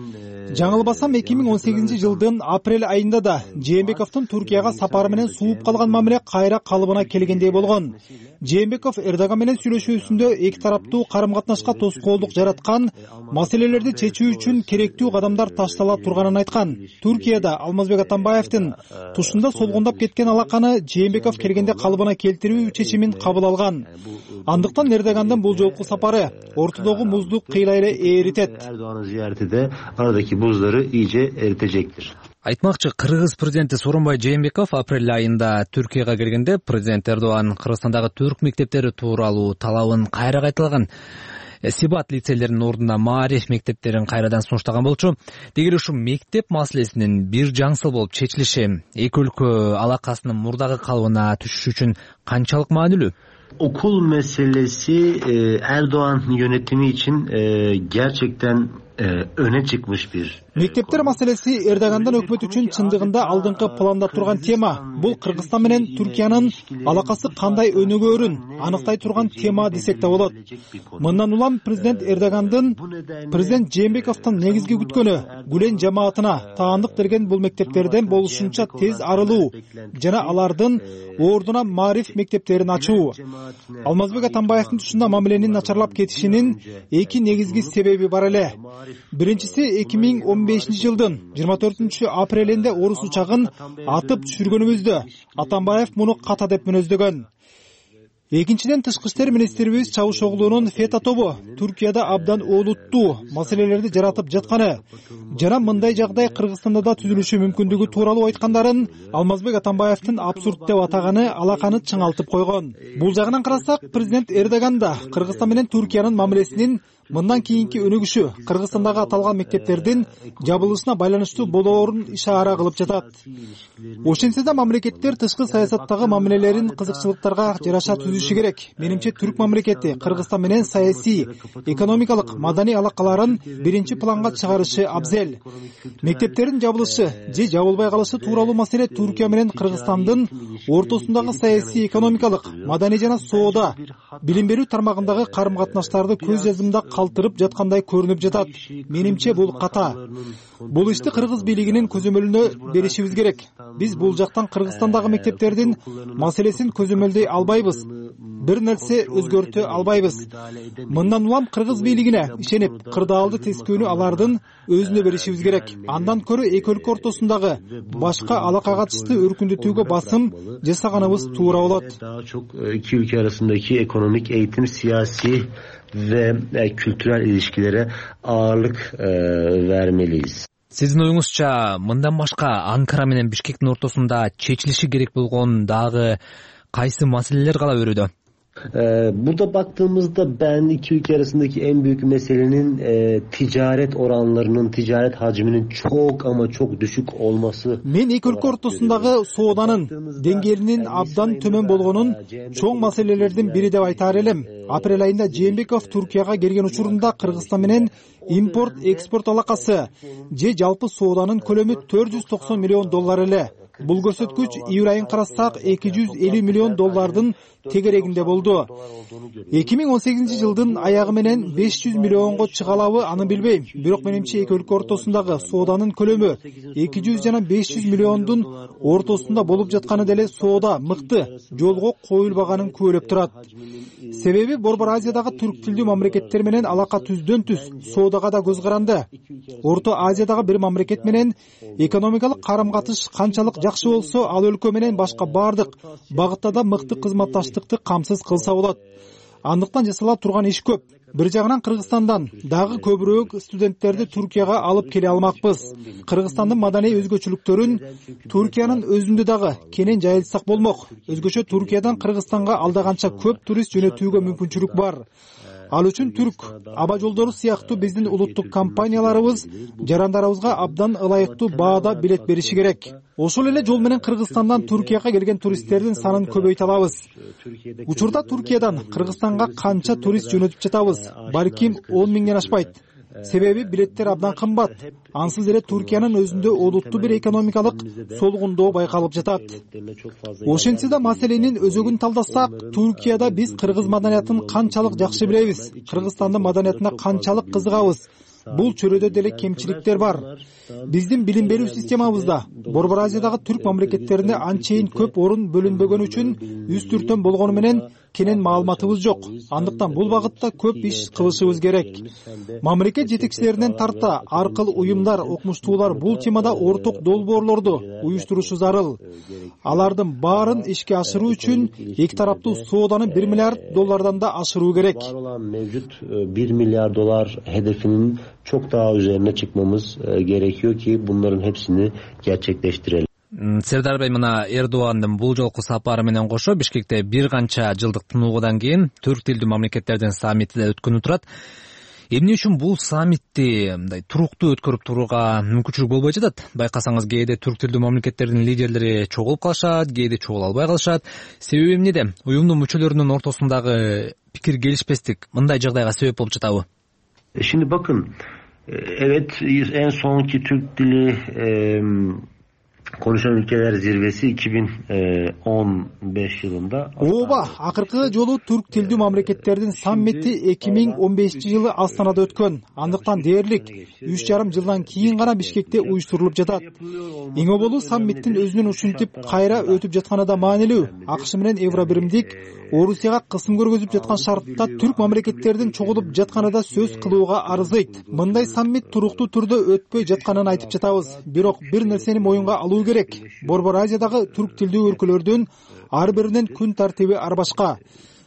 Жаңылбасам эки миң он сегизинчи жылдын апрель айында да Жээнбековдун Түркияга сапары менен сууп калган мамиле кайра калыбына келгендей болгон. Жээнбеков Эрдоган менен сүйлөшүүсүндө эки тараптуу карым-катнашка тоскоолдук жараткан, маселелерди чечүү үчүн керектүү кадамдар таштала турганын айткан. Түркияда Алмазбек Атамбаевдин тушунда солгундап кеткен алаканы Жээнбеков келгенде калыбына келтирүү чечимин кабыл алган. Андыктан Эрдогандын бул жолку сапары ортодогу музду кыйла эле эритет. Erdoğan'ın ziyareti de aradaki buzları iyice eritecektir. Айтмакчы, Кыргыз президенти Сооронбай Жээнбеков апрель айында Түркияга келгенде президент Эрдоган Кыргызстандагы түрк мектептери тууралуу талабын кайра кайталаган. Сибат лицейлеринин ордуна маариф мектептерин кайрадан сунуштаган болчу. Дегеле ушу мектеп маселесинин бир жаңсыл болуп чечилиши эки өлкө алакасынын мурдагы калыбына түшүшү үчүн канчалык маанилүү? Okul meselesi e, Erdoğan yönetimi için e, gerçekten e, öne çıkmış bir. Мектептер маселеси Эрдогандын өкмөт үчүн чындыгында алдыңкы планда турган тема. Бул Кыргызстан менен Түркиянын алакасы кандай өнүгөөрүн аныктай турган тема десек да болот. Мындан улам президент Эрдогандын президент Жээнбековдун негизги күткөнү Гүлен жамаатына таандык берген бул мектептерден болушунча тез арылуу жана алардын ордуна маариф мектептерин ачуу. Алмазбек Атамбаевдин тушунда мамиленин начарлап кетишинин эки негизги себеби бар эле. Биринчиси эки миң он бешинчи жылдын жыйырма төртүнчү апрелинде орус учагын атып түшүргөнүбүздө Атамбаев муну ката деп мүнөздөгөн. Экинчиден, тышкы иштер министрибиз Чавушоглунун фета тобу Түркияда абдан олуттуу маселелерди жаратып жатканы жана мындай жагдай Кыргызстанда да түзүлүшү мүмкүндүгү тууралуу айткандарын Алмазбек Атамбаевдин абсурд деп атаганы алаканы чыңалтып койгон. Бул жагынан карасак, президент Эрдоган да Кыргызстан менен Түркиянын мамилесинин мындан кийинки өнүгүшү Кыргызстандагы аталган мектептердин жабылышына байланыштуу болоорун ишара кылып жатат. Ошентсе да мамлекеттер тышкы саясаттагы мамилелерин кызыкчылыктарга жараша түзүшү керек. Менимче түрк мамлекети Кыргызстан менен саясий, экономикалык, маданий алакаларын биринчи планга чыгарышы абзел. Мектептердин жабылышы же жабылбай калышы тууралуу маселе Түркия менен Кыргызстандын ортосундагы саясий, экономикалык, маданий жана соода, билим берүү тармагындагы карым-катнаштарды көз жазымда калтырып жаткандай көрүнүп жатат. Менимче бул ката. Бул ишти кыргыз бийлигинин көзөмөлүнө беришибиз керек. Биз бул жактан Кыргызстандагы мектептердин маселесин көзөмөлдөй албайбыз. Бир нерсе өзгөртө албайбыз. Мындан улам кыргыз бийлигине ишенип, кырдаалды тескөөнү алардын өзүнө беришибиз керек. Андан көрө эки өлкө ортосундагы башка алака катышты өркүндөтүүгө басым жасаганыбыз туура болот. Daha çok iki ülke arasındaki ekonomik, eğitim, siyasi ve kültürel ilişkilere ağırlık vermeliyiz. Сиздин оюңузча мындан башка Анкара менен Бишкектин ортосунда чечилиши керек болгон дагы кайсы маселелер кала берүүдө? Ee, burada baktığımızda ben iki ülke arasındaki en büyük meselenin e, ticaret oranlarının, ticaret hacminin çok ama çok düşük olması. Мен эки өлкө ортосундагы сооданын деңгээлинин абдан төмөн болгонун чоң маселелердин бири деп айтаар элем. Апрель айында Жээнбеков Туркияга келген учурунда Кыргызстан менен импорт экспорт алакасы же жалпы сооданын көлөмү төрт жүз токсон миллион доллар эле. Бул көрсөткүч июль айын карасак эки жүз элүү миллион доллардын тегерегинде болду. эки миң он сегизинчи жылдын аягы менен беш жүз миллионго чыга алабы аны билбейм. Бирок менимче эки өлкө ортосундагы сооданын көлөмү эки жүз жана беш жүз миллиондун ортосунда болуп жатканы деле соода мыкты жолго коюлбаганын күбөлөп турат. Себеби Борбор Азиядагы түрк тилдүү мамлекеттер менен алака түздөн түз, соодага да көз каранды. Орто Азиядагы бир мамлекет менен экономикалык карым-катыш канчалык жакшы болсо, ал өлкө менен башка бардык багытта да мыкты кызматташтыкты камсыз кылса болот. Андыктан жасала турган иш көп. Бир жагынан Кыргызстандан дагы көбүрөөк студенттерди Туркияга алып келе алмакпыз. Кыргызстандын маданий өзгөчөлүктөрүн Туркиянын өзүндө дагы кенен жайылтсак болмок. Өзгөчө Туркиядан Кыргызстанга алда канча көп турист жөнөтүүгө мүмкүнчүлүк бар. Ал үчүн түрк аба жолдору сыяктуу биздин улуттук компанияларыбыз жарандарыбызга абдан ылайыктуу баада билет бериши керек. Ошол эле жол менен Кыргызстандан Туркияга келген туристтердин санын көбөйтө алабыз. Учурда Туркиядан Кыргызстанга канча турист жөнөтүп жатабыз? Балким он миңден ашпайт. Себеби билеттер абдан кымбат. Ансыз эле Туркиянын өзүндө олуттуу бир экономикалык солгундоо байкалып жатат. Ошентсе да маселенин өзөгүн талдасак, Туркияда биз кыргыз маданиятын канчалык жакшы билебиз, Кыргызстандын маданиятына канчалык кызыгабыз. Бул чөрөдө деле кемчиликтер бар. Биздин билим берүү системабызда Борбор Азиядагы түрк мамлекеттерине анчейин көп орун бөлүнбөгөн үчүн үстүртөн болгону менен кенен маалыматыбыз жок. Андыктан бул багытта көп иш кылышыбыз керек. Мамлекет жетекчилеринен тарта аркыл уюмдар, окумуштуулар бул темада орток долбоорлорду уюштурушу зарыл. Алардын баарын ишке ашыруу үчүн эки тараптуу сооданы бир миллиард доллардан да ашыруу керек. Mevcut bir milyar dolar hedefinin çok daha üzerine çıkmamız gerekiyor ki bunların hepsini gerçekleştirelim. Сердар Бей мына Эрдогандын бул жолку сапары менен кошо Бишкекте бир канча жылдык тынуудан кийин түрк тилдүү мамлекеттердин саммити да өткөнүп турат. Эмне үчүн бул саммитти мындай туруктуу өткөрүп турууга мүмкүнчүлүк болбой жатат? Байкасаңыз кээде түрк тилдүү мамлекеттердин лидерлери чогулуп калышат, кээде чогула албай калышат. Себеби эмнеде? Уюмдун мүчөлөрүнүн ортосундагы пикир келишпестик мындай жагдайга себеп болуп жатабы? Şimdi bakın, evet en sonki Türk dili e, konuşan ülkeler zirvesi iki bin on beş yılında. Ооба, акыркы жолу түрк тилдүү мамлекеттердин саммити эки миң он бешинчи жылы Астанада өткөн. Андыктан дээрлик үч жарым жылдан кийин гана Бишкекте уюштурулуп жатат. Эң оболу саммиттин өзүнүн ушинтип кайра өтүп жатканы да маанилүү. АКШ менен Евробиримдик Орусияга кысым көргөзүп жаткан шартта түрк мамлекеттердин чогулуп жатканы да сөз кылууга арзыйт. Мындай саммит туруктуу түрдө өтпөй жатканын айтып жатабыз. Бирок бир нерсени моюнга алуу керек. Борбор Азиядагы түрк тилдүү өлкөлөрдүн ар биринин күн тартиби ар башка.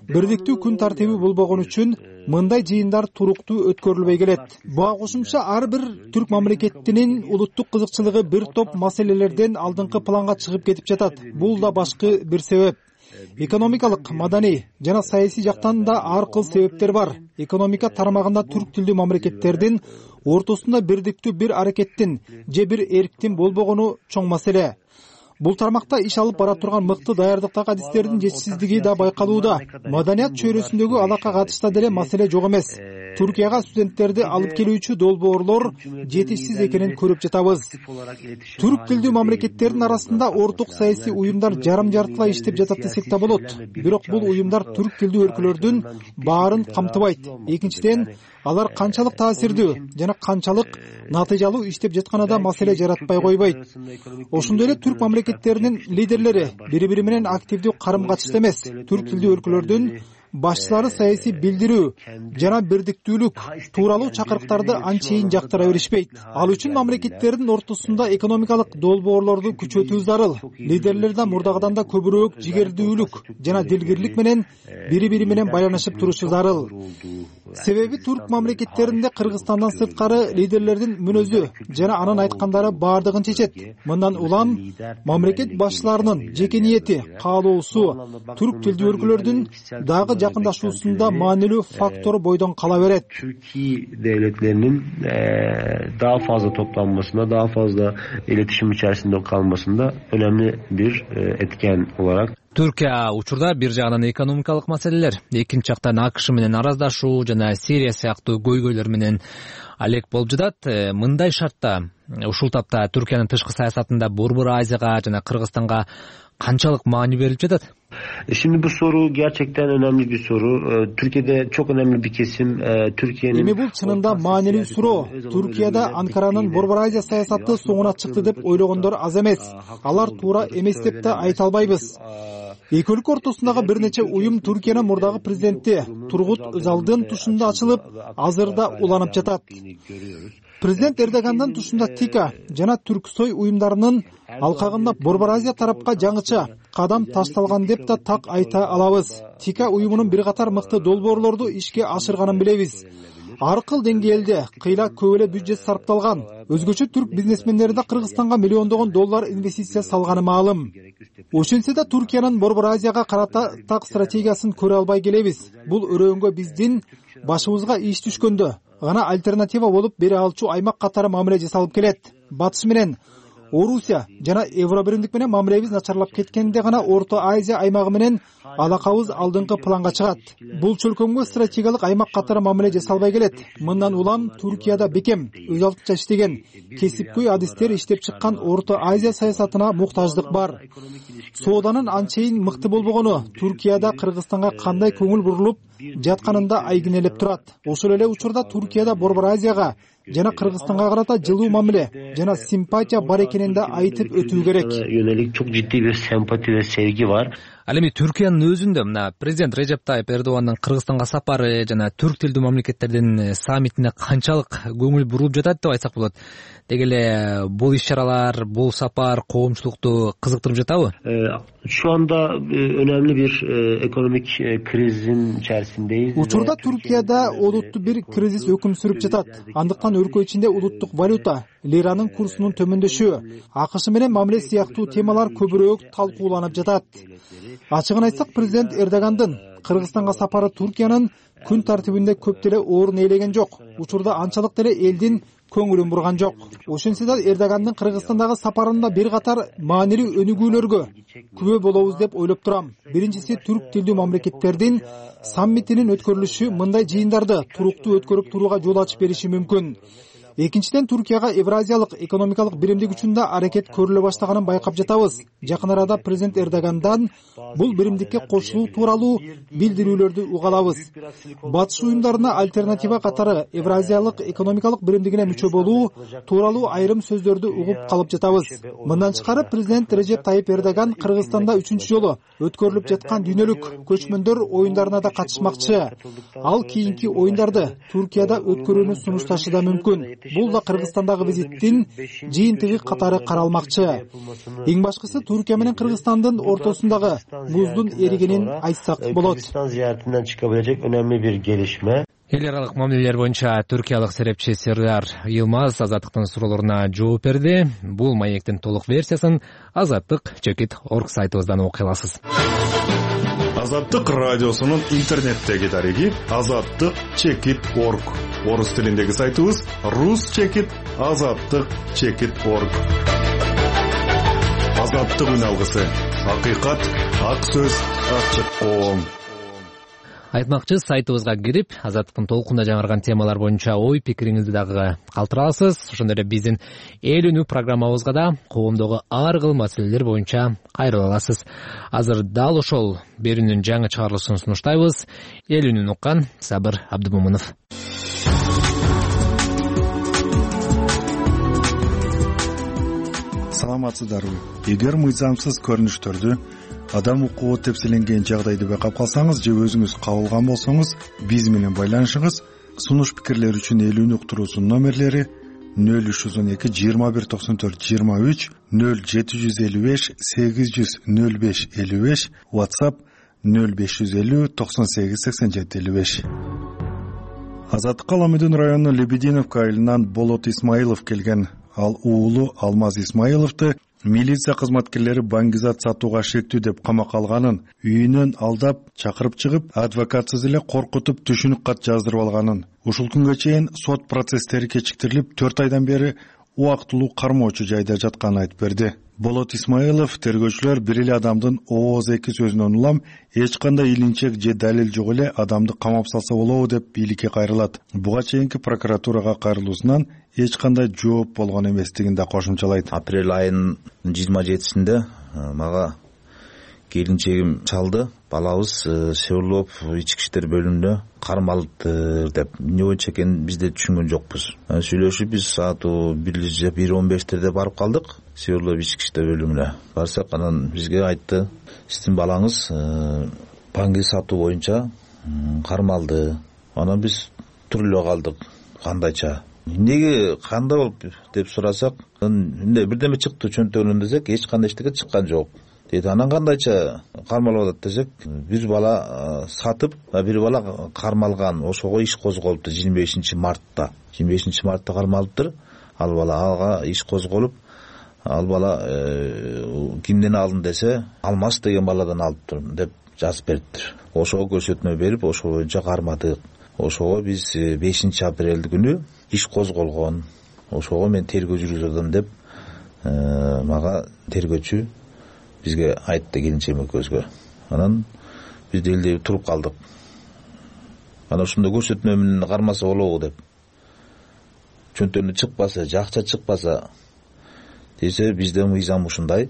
Бирдиктүү күн тартиби болбогон үчүн мындай жыйындар туруктуу өткөрүлбөй келет. Буга кошумча ар бир түрк мамлекетинин улуттук кызыкчылыгы бир топ маселелерден алдыңкы планга чыгып кетип жатат. Бул да башкы бир себеп. Экономикалык, маданий жана саясий жактан да ар кыл себептер бар. Экономика тармагында түрк тилдүү мамлекеттердин ортосунда бирдиктүү бир аракеттин же бир эрктин болбогону чоң маселе. Бул тармакта иш алып бара турган мыкты даярдыктагы адистердин жетишсиздиги да байкалууда. Маданият чөйрөсүндөгү алака катышта деле маселе жок эмес. Туркияга студенттерди алып келүүчү долбоорлор жетишсиз экенин көрүп жатабыз. Түрк тилдүү мамлекеттердин арасында орток саясий уюмдар жарым жартылай иштеп жатат десек да болот. Бирок бул уюмдар түрк тилдүү өлкөлөрдүн баарын камтыбайт. Экинчиден, алар канчалык таасирдүү жана канчалык натыйжалуу иштеп жатканы да маселе жаратпай койбойт. Ошондой эле түрк мамлекеттеринин лидерлери бири-бири менен активдүү карым-катышта эмес. Түрк тилдүү өлкөлөрдүн башчылары саясий билдирүү жана бирдиктүүлүк тууралуу чакырыктарды анчейин жактыра беришпейт. Ал үчүн мамлекеттердин ортосунда экономикалык долбоорлорду күчөтүү зарыл. Лидерлер да мурдагыдан да көбүрөөк жигердүүлүк жана дилгирлик менен бири-бири менен байланышып турушу зарыл. Себеби түрк мамлекеттеринде Кыргызстандан сырткары лидерлердин мүнөзү жана анын айткандары баардыгын чечет. Мындан улам мамлекет башчыларынын жеке ниети, каалоосу түрк тилдүү өлкөлөрдүн дагы жакындашуусунда маанилүү фактор бойдон кала берет. Türkiye devletlerinin daha fazla toplanmasında, daha fazla iletişim içerisinde kalmasında önemli bir etken olarak. Түркия учурда бир жагынан экономикалык маселелер, экинчи жактан АКШ менен араздашуу жана Сирия сыяктуу көйгөйлөр менен алек болуп жатат. Мындай шартта ушул тапта Түркиянын тышкы саясатында Борбор Азияга жана Кыргызстанга канчалык маани берилип жатат? Şimdi bu soru gerçekten önemli bir soru. Türkiye'de çok önemli bir kesim Türkiye'nin... Эми бул чынында маанилүү суроо. Түркияда Анкаранын Борбор Азия саясаты соңуна чыкты деп ойлогондор аз эмес. Алар туура эмес деп да айта албайбыз. Эки өлкө ортосундагы бир нече уюм Түркиянын мурдагы президенти Тургут Özal'дын тушунда ачылып, азырда уланып жатат. Президент Эрдогандан тушунда ТИКА жана Түрксой уюмдарынын алкагында Борбор Азия тарапка жаңыча кадам ташталган деп да так айта алабыз. ТИКА уюмунун бир катар мыкты долбоорлорду ишке ашырганын билебиз. Ар кыл деңгээлде кыйла көп эле бюджет сарпталган. Өзгөчө түрк бизнесмендери да Кыргызстанга миллиондогон доллар инвестиция салганы маалым. Ошентсе да Түркиянын Борбор Азияга карата так стратегиясын көрө албай келебиз. Бул өрөөнгө биздин башыбызга иш түшкөндө гана альтернатива болуп бере алчу аймак катары мамиле жасалып келет. Батыш менен Орусия жана Евробиримдик менен мамилебиз начарлап кеткенде гана Орто Азия аймагы менен алакабыз алдыңкы планга чыгат. Бул чөлкөмгө стратегиялык аймак катары мамиле жасалбай келет. Мындан улам Түркияда бекем, өз алдынча иштеген, кесипкөй адистер иштеп чыккан Орто Азия саясатына муктаждык бар. Сооданын анчейин мыкты болбогону Түркияда Кыргызстанга кандай көңүл бурулуп жатканында айгинелеп турат. Ошол эле учурда Түркияда Борбор Азияга жана Кыргызстанга карата жылуу мамиле жана симпатия бар экенин да айтып өтүү керек. Yönelik çok ciddi bir sempati ve sevgi var. Ал эми Түркиянын өзүндө мына президент Режеп Тайып Эрдогандын Кыргызстанга сапары жана түрк тилдүү мамлекеттердин саммитине канчалык көңүл бурулуп жатат деп айтсак болот. Деги эле бул иш-чаралар, бул сапар коомчулукту кызыктырып жатабы? Şu anda önemli bir ekonomik krizin içerisindeyiz. Учурда Түркияда олуттуу бир кризис өкүм сүрүп жатат. Андыктан өлкө ичинде улуттук валюта, лиранын курсунун төмөндөшүшү, АКШ менен мамиле сыяктуу темалар көбүрөөк талкууланып жатат. Ачыгын айтсак, президент Эрдогандын Кыргызстанга сапары Түркиянын күн тартибинде көп деле орун ээлеген жок. Учурда анчалык деле элдин көңүлүн бурган жок. Ошентсе да Эрдогандын Кыргызстандагы сапарында бир катар маанилүү өнүгүүлөргө күбө болобуз деп ойлоп турам. Биринчиси, түрк тилдүү мамлекеттердин саммитинин өткөрүлүшү мындай жыйындарды туруктуу өткөрүп турууга жол ачып бериши мүмкүн. Экинчиден, Түркияга Евразиялык экономикалык биримдик үчүндө аракет көрүлө баштаганын байкап жатабыз. Жакын арада президент Эрдогандан бул биримдикке кошулуу тууралуу билдирүүлөрдү угалабыз. Батыш уюмдарына альтернатива катары Евразиялык экономикалык биримдигине мүчө болуу тууралуу айрым сөздөрдү угуп калып жатабыз. Мындан тышкары президент Режеп Тайып Эрдоган Кыргызстанда үчүнчү жолу өткөрүлүп жаткан дүйнөлүк көчмөндөр оюндарына да катышмакчы. Ал кийинки оюндарды Түркияда өткөрүүнү сунушташы да мүмкүн. Бул да Кыргызстандагы визиттин жыйынтыгы катары каралмакчы. Эң башкысы, Түркия менен Кыргызстандын ортосундагы буздун эригенин айтсак болот. Kırgızistan ziyaretinden çıkabilecek önemli bir gelişme. Эл аралык мамилелер боюнча түркиялык серепчи Сердар Йылмаз Азаттыктын суроолоруна жооп берди. Бул маектин толук версиясын азаттык чекит точка орг сайтыбыздан окуй аласыз. Азаттык радиосунун интернеттеги дареги азаттык чекит точка орг. Орус тилиндеги сайтыбыз рус чекит азаттык чекит точка орг. Азаттык үн алгысы. Акыйкат, ак сөз, ачык коом. Айтмакчы, сайтыбызга кирип, Азаттыктын толкунда жаңырган темалар боюнча ой пикириңизди дагы калтыра аласыз. Ошондой эле биздин эл үнү программабызга да коомдогу ар кыл маселелер боюнча кайрыла аласыз. Азыр дал ошол берүүнүн жаңы чыгарылышын сунуштайбыз. Эл үнүн уккан Сабыр Абдымомунов. Саламатсыздарбы? Эгер мыйзамсыз көрүнүштөрдү, адам укугу тепселенген жагдайды байкап калсаңыз же өзүңүз кабылган болсоңуз, биз менен байланышыңыз. Сунуш пикирлер үчүн эл үнү уктуруусунун номерлери нөл үч жүз он эки жыйырма бир токсон төрт жыйырма үч, нөл жети жүз элүү беш сегиз жүз нөл беш элүү беш, WhatsApp нөл беш жүз элүү токсон сегиз сексен жети элүү беш. Азаттыкка Аламүдүн районунун Лебединовка айылынан Болот Исмаилов келген. Ал уулу Алмаз Исмаиловду милиция кызматкерлери баңгизат сатууга шектүү деп камакка алганын, үйүнөн алдап чакырып чыгып, адвокатсыз эле коркутуп түшүнүк кат жаздырып алганын, ушул күнгө чейин сот процесстери кечиктирилип, төрт айдан бери убактылуу кармоочу жайда жатканын айтып берди. Болот Исмаилов тергөөчүлөр бир эле адамдын ооз эки сөзүнөн улам эч кандай илинчек же далил жок эле адамды камап салса болобу деп бийликке кайрылат. Буга чейинки прокуратурага кайрылуусунан эч кандай жооп болгон эместигин да кошумчалайт. Апрель айынын жыйырма жетисинде мага келинчегим чалды. Балабыз Сеулоп ички иштер бөлүмүндө кармалды деп. Эмне боюнча экенин биз да түшүнгөн жокпуз. Сүйлөшүп биз саату бир он бештерде барып калдык. Сеулоп ички иштер бөлүмүнө барсак, анан бизге айтты, сиздин балаңыз банги сатуу боюнча кармалды. Анан биз туруп эле калдык. Кандайча? Эмнеге, кандай болуп деп сурасак, эмне бирдеме чыкты чөнтөгүнөн десек, эч кандай эчтеке чыккан жок. Деди, анан кандайча кармалып атат десек, бир бала сатып, бир бала кармалган. Ошого иш козголупту жыйырма бешинчи мартта. жыйырма бешинчи мартта кармалыптыр. Ал бала ага иш козголуп, ал бала кимден алдын десе, Алмаз деген баладан алыптыр деп жазып бериптир. Ошого көрсөтмө берип, ошол боюнча кармадык. Ошого биз бешинчи апрель күнү иш козголгон. Ошого мен тергөө жүргүзөм деп мага тергөөчү бизге айтты, келинчегим экөөбүзгө. Анан биз делде туруп калдык. Анан ушундай көрсөтмө менен кармаса болобу деп. Чөнтөгүнө чыкпаса, жакча чыкпаса десе, бизде мыйзам ушундай,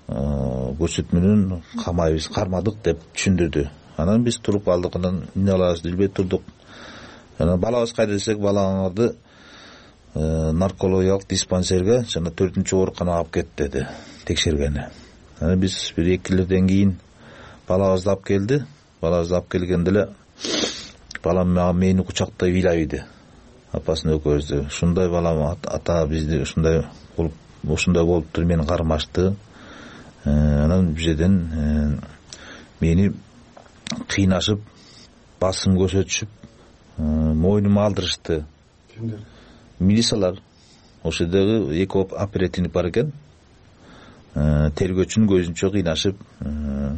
көрсөтмөнүн камайбыз, кармадык деп түшүндүрдү. Анан биз туруп калдык, анан эмне кылабызды билбей турдук. Анан балабыз кайда десек, балаңарды наркологиялык диспансерге, жана төртүнчү ооруканага алып кет деди, текшергени. Анан биз бир экилерден кийин балабызды алып келди. Балабызды алып келгенде эле балам мени кучактай ыйлайбыды. Апасын экөөбүздү. Ушундай балам ата бизди ушундай болуп, ушундай болуптур, мени кармашты. Анан бизеден мени кыйнашып, басым көрсөтүшүп, мойнума алдырышты. Кимдер? Милициялар. Ошол жердеги эки оперативник бар экен. Тергөөчүнүн көзүнчө кыйнашып,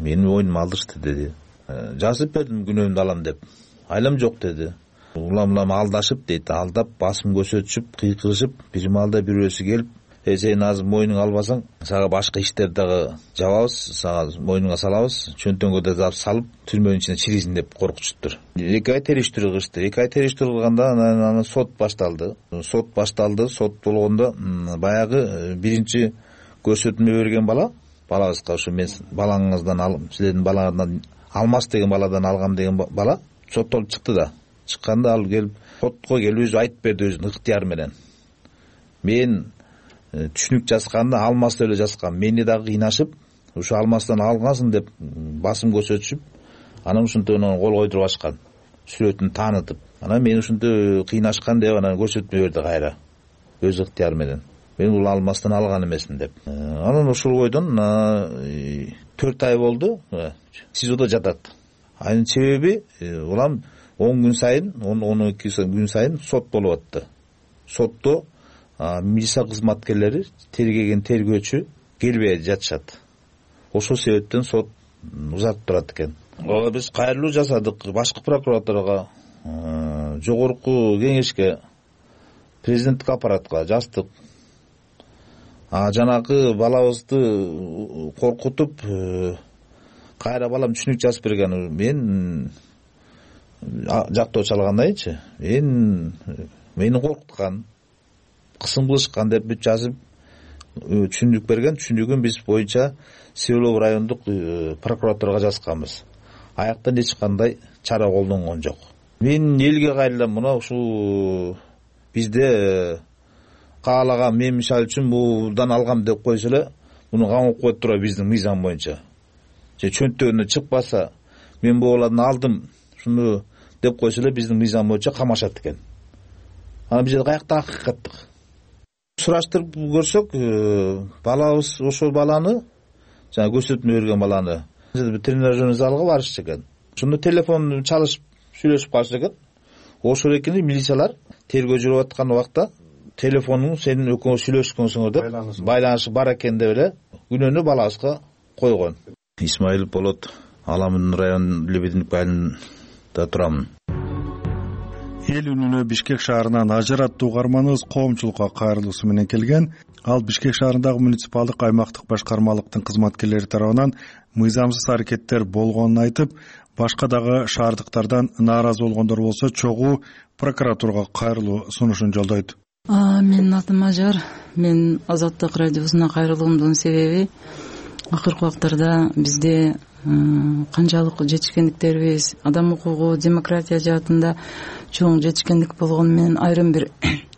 мени мойнума алдырышты деди. Жазып бердим күнөөмдү алам деп. Айлам жок деди. Улам-улам алдашып дейт, алдап, басым көрсөтүшүп, кыйкырышып, бир маалда бирөөсү келип, «Э, сен азыр мойнуңа албасаң, сага башка иштер дагы жабабыз, сага мойнуңа салабыз, чөнтөгүңө да салып, түрмөнүн ичине чирийсиң» деп коркутуштур. Эки ай териштирүү кылышты. Эки ай териштирүү кылганда анан сот башталды. Сот башталды. Сот болгондо баягы биринчи көрсөтмө берген бала, балабызга ушу мен балаңыздан алып, силердин балаңардан Алмаз деген баладан алгам деген бала соттолуп чыкты да. Чыкканда ал келип сотко келип өзү айтып берди өзүнүн ыктыяры менен. Мен түшүнүк жазганда Алмазды эле жазгам. Мени дагы кыйнашып, ушу Алмаздан алгансың деп басым көрсөтүшүп, анан ушунтон кол койдуруп ачкан. Сүрөтүн таанытып. Анан мени ушунтип кыйнашкан деп анан көрсөтмө берди кайра. Өз ыктыяры менен. Мен бул Алмаздан алган эмесмин деп. Анан ушул бойдон төрт ай болду. СИЗОдо жатат. Анын себеби улам он күн сайын, он эки күн сайын сот болуп атты. Сотто милиция кызматкерлери тергеген тергөөчү келбей жатышат. Ошол себептен сот узатып турат экен. Биз кайрылуу жасадык башкы прокуратурага, жогорку кеңешке, президенттик аппаратка жаздык. А жанагы балабызды коркутуп, кайра балам түшүнүк жазып берген. Мен жактоочу алгандайчы мен мени коркуткан, кысым кылышкан деп бүт жазып түшүндүк берген. Түшүндүгүн биз боюнча Себелов райондук прокуратурага жазганбыз. Аяктан эч кандай чара колдонгон жок. Мен элге кайрылам, мына ушул бизде каалаган мен мисалы үчүн будан алгам деп койсо эле муну камап коет тура биздин мыйзам боюнча. Же чөнтөгүнөн чыкпаса мен бугалардан алдым шуну деп койсо эле биздин мыйзам боюнча камашат экен. Ана бизде каякта акыйкаттык. Сураштырып көрсөк, балабыз ошол баланы, жана көрсөтмө берген баланы тренажерный залга барышчу экен. Шуну телефон чалышып сүйлөшүп калышты экен. Ошол экени милициялар тергөө жүрүп аткан убакта телефонуң сенин экөөңөр сүйлөшкөнсүңөр деп байланышы бар экен деп эле күнөөнү балабызга койгон. Исмаилов болот, Аламын район Лебединов айылында турам. Эл үнүнө Бишкек шаарынан Ажар аттуу угарманыбыз коомчулукка кайрылуусу менен келген. Ал Бишкек шаарындагы муниципалдык аймактык башкармалыктын кызматкерлери тарабынан мыйзамсыз аракеттер болгонун айтып, башка дагы шаардыктардан нааразы болгондор болсо чогуу прокуратурага кайрылуу сунушун жолдойт. Менин атым Ажар. Мен Азаттык радиосуна кайрылуумдун себеби акыркы убактарда бизде канчалык жетишкендиктерибиз, адам укугу, демократия жаатында чоң жетишкендик болгону менен айрым бир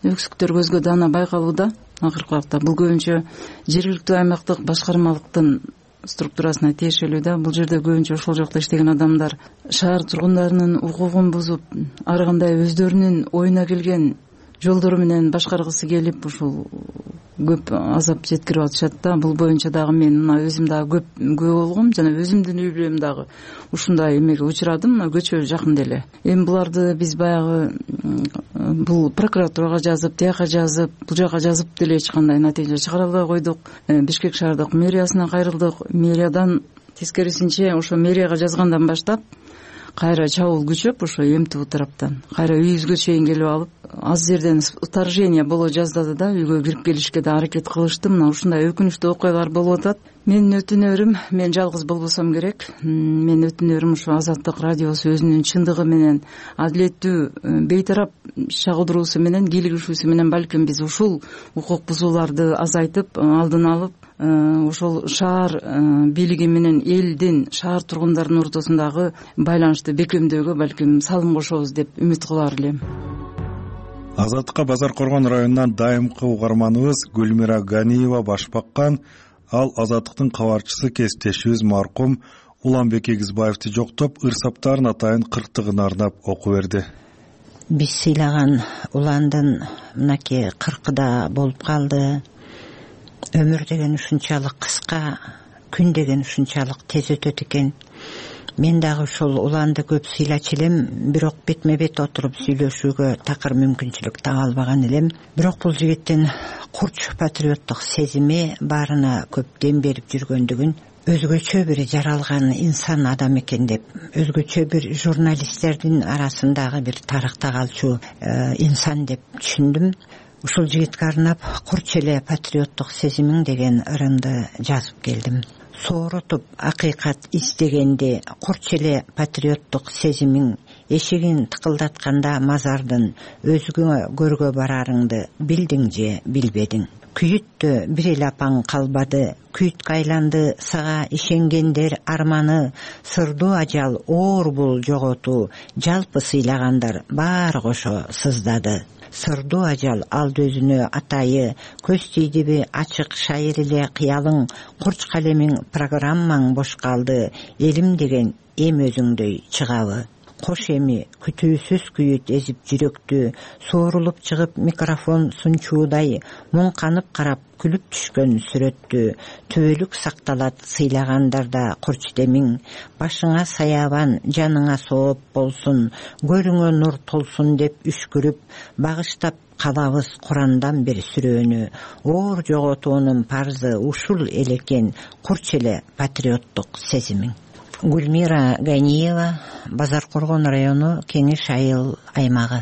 өксүктөр көзгө даана байкалууда. Акыркы убакта бул көбүнчө жергиликтүү аймактык башкармалыктын структурасына тиешелүү да. Бул жерде көбүнчө ошол жакта иштеген адамдар шаар тургундарынын укугун бузуп, ар кандай өздөрүнүн оюна келген жолдору менен башкаргысы келип ушул көп азап жеткирип атышат да. Бул боюнча дагы мен мына өзүм дагы көп күбө болгом жана өзүмдүн үй бүлөм дагы ушундай эмеге учурадым. Мына көчө жакын деле. Эми буларды биз баягы бул прокуратурага жазып, тияка жазып, бул жака жазып деле эч кандай натыйжа чыгара албай койдук. Бишкек шаардык мэриясына кайрылдык. Мэриядан тескерисинче ошо мэрияга жазгандан баштап кайра чабуул күчөп, ошо МТУ тараптан кайра үйүбүзгө чейин келип алып, аз жерден вторжение боло жаздады да, үйгө кирип келишке да аракет кылышты. Мына ушундай өкүнүчтүү окуялар болуп атат. Менин өтүнөрүм, мен жалгыз болбосом керек. Мен өтүнөрүм ушу Азаттык радиосу өзүнүн чындыгы менен, адилеттүү, бейтарап чагылдыруусу менен, кийлигишүүсү менен балким биз ушул укук бузууларды азайтып, алдын алып, ошол шаар бийлиги менен элдин, шаар тургундарынын ортосундагы байланышты бекемдөөгө балким салым кошобуз деп үмүт кылар элем. Азаттыкка Базар Коргон районунан дайымкы угарманыбыз Гүлмира Ганиева баш баккан. Ал Азаттыктын кабарчысы кесиптешибиз маркум Уланбек Эгизбаевди жоктоп, ырсаптарын атайын кырктыгын арнап окуп берди. Биз сыйлаган Уландын мынакей кыркыда болуп калды. Өмүр деген ушунчалык кыска, күн деген ушунчалык тез өтөт экен. Мен дагы ушул Уланды көп сыйлачу элем, бирок бетме бет отуруп сүйлөшүүгө такыр мүмкүнчүлүк таба албаган элем. Бирок бул жигиттин курч патриоттук сезими баарына көп дем берип жүргөндүгүн, өзгөчө бир жаралган инсан адам экен деп, өзгөчө бир журналисттердин арасындагы бир тарыхта калчу инсан деп түшүндүм. Ушул жигитке арнап курч эле патриоттук сезимиң деген ырымды жазып келдим. Сооротуп акыйкат издегенде курч эле патриоттук сезимиң, эшигин тыкылдатканда мазардын өзгө көргө барарыңды билдиң же билбедиң. Күйүттө бир эле апаң калбады, күйүткө айланды сага ишенгендер арманы, сырдуу ажал оор бул жоготуу, жалпы сыйлагандар баары кошо сыздады. Сырдуу ажал алды өзүнө атайы, көз тийдиби ачык шайыр эле кыялың, курч калемиң программаң бош калды, элим деген эм өзүңдөй чыгабы. Кош эми күтүүсүз күйүт эзип жүрөктү, соорулуп чыгып микрофон сунчуудай, муң канып карап күлүп түшкөн сүрөттү, түбөлүк сакталат сыйлагандарда курч демиң, башыңа саябан, жаныңа сооп болсун, көрүңө нур толсун деп үшкүрүп, багыштап калабыз Курандан бир сүрөнү, оор жоготуунун парзы ушул элекен, курч эле патриоттук сезимиң. Гүлмира Ганиева, Базар Коргон району, Кеңеш айыл аймагы.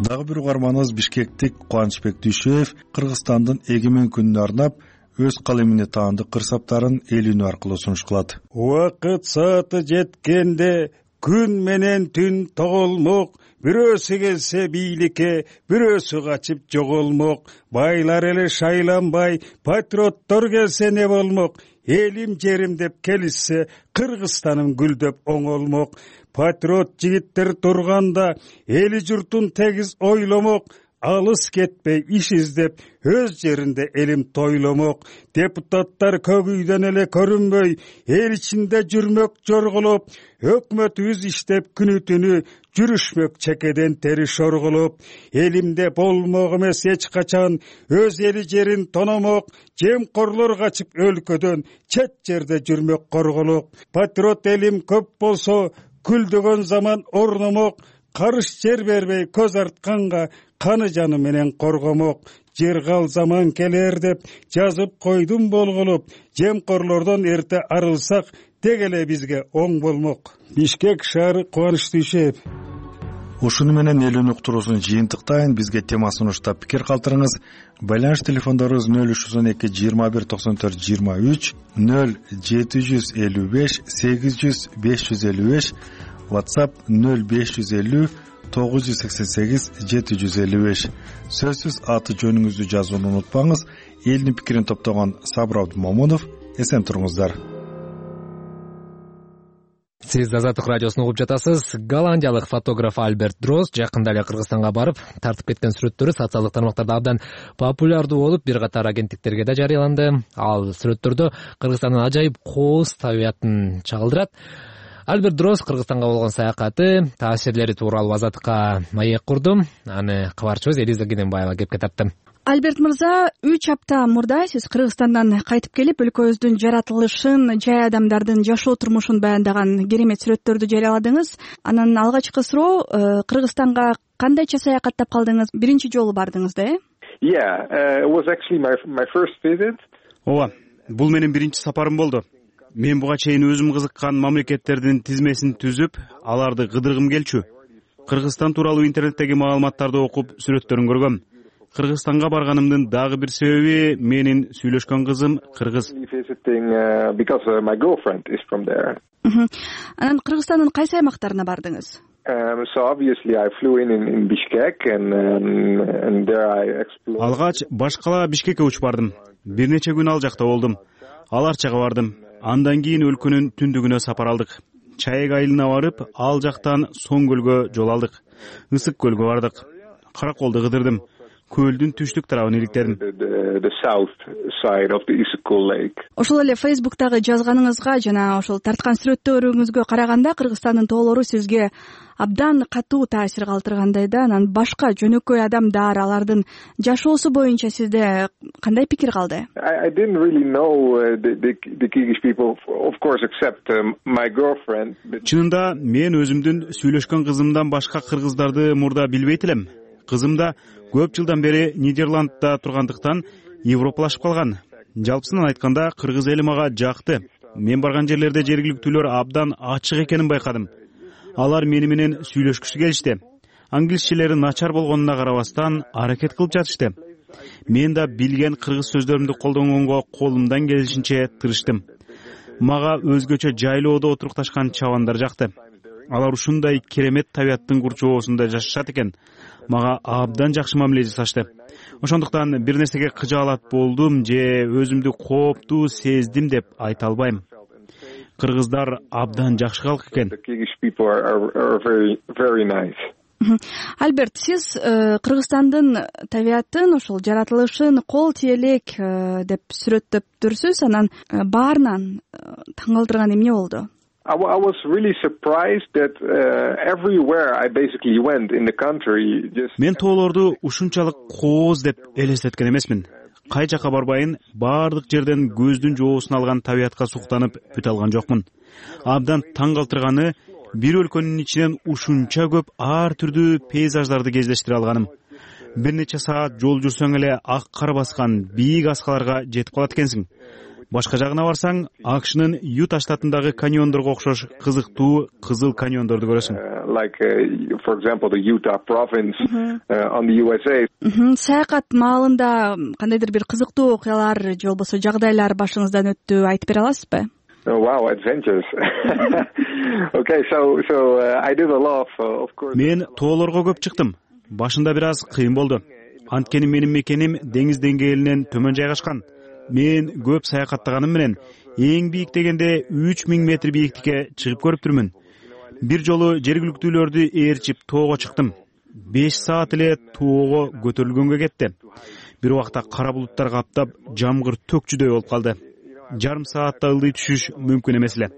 Дагы бир угарманыбыз бишкектик Кубанычбек Дүйшөев Кыргызстандын эгемен күнүнө арнап өз калемине таандык кырсаптарын эл үнү аркылуу сунуш кылат. Убакыт сааты жеткенде күн менен түн тоголмок, бирөөсү келсе бийликке, бирөөсү качып жоголмок, байлар эле шайланбай, патриоттор келсе не болмок, элим жерим деп келишсе, Кыргызстаным гүлдөп оңолмок. Патриот жигиттер турганда, эли журтун тегиз ойломок, алыс кетпей иш издеп, өз жеринде элим тойломок. Депутаттар көк үйдөн эле көрүнбөй, эл ичинде жүрмөк жорголоп, өкмөтүбүз иштеп күнү түнү, жүрүшмөк чекеден тери шорголоп. Элимде болмок эмес эч качан, өз эли жерин тономок, жемкорлор качып өлкөдөн, чет жерде жүрмөк корголоп. Патриот элим көп болсо, күлдөгөн заман орномок, карыш жер бербей көз артканга, каны жаны менен коргомок. Жыргал заман келер деп жазып койдум болголоп, жемкорлордон эрте арылсак, тег эле бизге оң болмок. Бишкек шаары кубанычты ишеп. Ушуну менен эл үнү уктуруусун жыйынтыктайын. Бизге тема сунуштап пикир калтырыңыз. Байланыш телефондорубуз нөл үч жүз он эки жыйырма бир токсон төрт жыйырма үч, нөл жети жүз элүү беш сегиз жүз беш жүз элүү беш, WhatsApp нөл беш жүз элүү тогуз жүз сексен сегиз жети жүз элүү беш. Сөзсүз аты жөнүңүздү жазууну унутпаңыз. Элдин пикирин топтогон Сабыр Абдымомунов. Эсен туруңуздар. Сиз Азаттык радиосун угуп жатасыз. Голландиялык фотограф Альберт Дрос жакында эле Кыргызстанга барып, тартып кеткен сүрөттөрү социалдык тармактарда абдан популярдуу болуп, бир катар агенттиктерге да жарыяланды. Ал сүрөттөрдө Кыргызстандын ажайып кооз табиятын чагылдырат. Альберт Дрос Кыргызстанга болгон саякаты, таасирлери тууралуу Азаттыкка маек курду. Аны кабарчыбыз Элиза Гененбаева кепке тартты. Альберт мырза, үч апта мурда сиз Кыргызстандан кайтып келип, өлкөбүздүн жаратылышын, жай адамдардын жашоо турмушун баяндаган керемет сүрөттөрдү жарыяладыңыз. Анан алгачкы суроо, Кыргызстанга кандайча саякаттап калдыңыз? Биринчи жолу бардыңыз да, э? Yeah, it was actually my my first visit. Ооба, бул менин биринчи сапарым болду. Мен буга чейин өзүм кызыккан мамлекеттердин тизмесин түзүп, аларды кыдыргым келчү. Кыргызстан тууралуу интернеттеги маалыматтарды окуп, сүрөттөрүн көргөм. Кыргызстанга барганымдын дагы бир себеби менин сүйлөшкөн кызым кыргыз. Анан Кыргызстандын кайсы аймактарына бардыңыз? Алгач башкала Бишкекке учуп бардым. Бир нече күн ал жакта болдум. Ал Арчага бардым. Андан кийин өлкөнүн түндүгүнө сапар алдык. Чаек айылына барып, ал жактан Соң көлгө жол алдык. Ысык көлгө бардык. Караколду кыдырдым. Көлдүн түштүк тарабын иликтедим. Ошол эле Facebook'тагы жазганыңызга жана ошол тарткан сүрөттөрүңүзгө караганда Кыргызстандын тоолору сизге абдан катуу таасир калтыргандай да. Анан башка жөнөкөй адамдар, алардын жашоосу боюнча сизде кандай пикир калды? Чынында мен өзүмдүн сүйлөшкөн кызымдан башка кыргыздарды мурда билбейт элем. Кызым да көп жылдан бери Нидерландда тургандыктан европалашып калган. Жалпысынан айтканда, кыргыз эли мага жакты. Мен барган жерлерде жергиликтүүлөр абдан ачык экенин байкадым. Алар мени менен сүйлөшкүсү келишти. Англисчелери начар болгонуна карабастан аракет кылып жатышты. Мен да билген кыргыз сөздөрүмдү колдонгонго колумдан келишинче тырыштым. Мага өзгөчө жайлоодо отурукташкан чабандар жакты. Алар ушундай керемет табияттын курчоосунда жашашат экен. Мага абдан жакшы мамиле жасашты. Ошондуктан бир нерсеге кыжаалат болдум же өзүмдү кооптуу сездим деп айта албайм. Кыргыздар абдан жакшы калк экен. Альберт, сиз Кыргызстандын табиятын, ошол жаратылышын кол тиелек деп сүрөттөптүрсүз. Анан баарынан таң калтырган эмне болду? I was really surprised that uh, everywhere I basically went in the country just Мен тоолорду ушунчалык кооз деп элестеткен эмесмин. Кай жака барбайын, баардык жерден көздүн жоосун алган табиятка суктанып бүт алган жокмун. Абдан таң калтырганы, бир өлкөнүн ичинен ушунча көп ар түрдүү пейзаждарды кездештире алганым. Бир нече саат жол жүрсөң эле ак кар баскан бийик аскаларга жетип калат экенсиң. Башка жагына барсаң, Акшнын Юта штатындагы каньондорго окшош кызыктуу кызыл каньондорду көрөсүң. Like uh, for example the Utah province uh, on the U S A. Саякат маалында кандайдыр бир кызыктуу окуялар же болбосо жагдайлар башыңыздан өттү, айтып бере аласызбы? Wow, adventures. Okay, so so uh, I did a lot of course. Мен тоолорго көп чыктым. Башында бир аз кыйын болду. Анткени менин мекеним деңиз деңгээлинен төмөн жайгашкан. Мен көп саякаттаганым менен эң бийик дегенде үч миң метр бийиктикке чыгып көрүптүрмүн. Бир жолу жергиликтүүлөрдү ээрчип тоого чыктым. беш саат эле тоого көтөрүлгөнгө кетти. Бир убакта кара булуттар каптап, жамгыр төкчүдөй болуп калды. Жарым саатта ылдый түшүш мүмкүн эмес эле.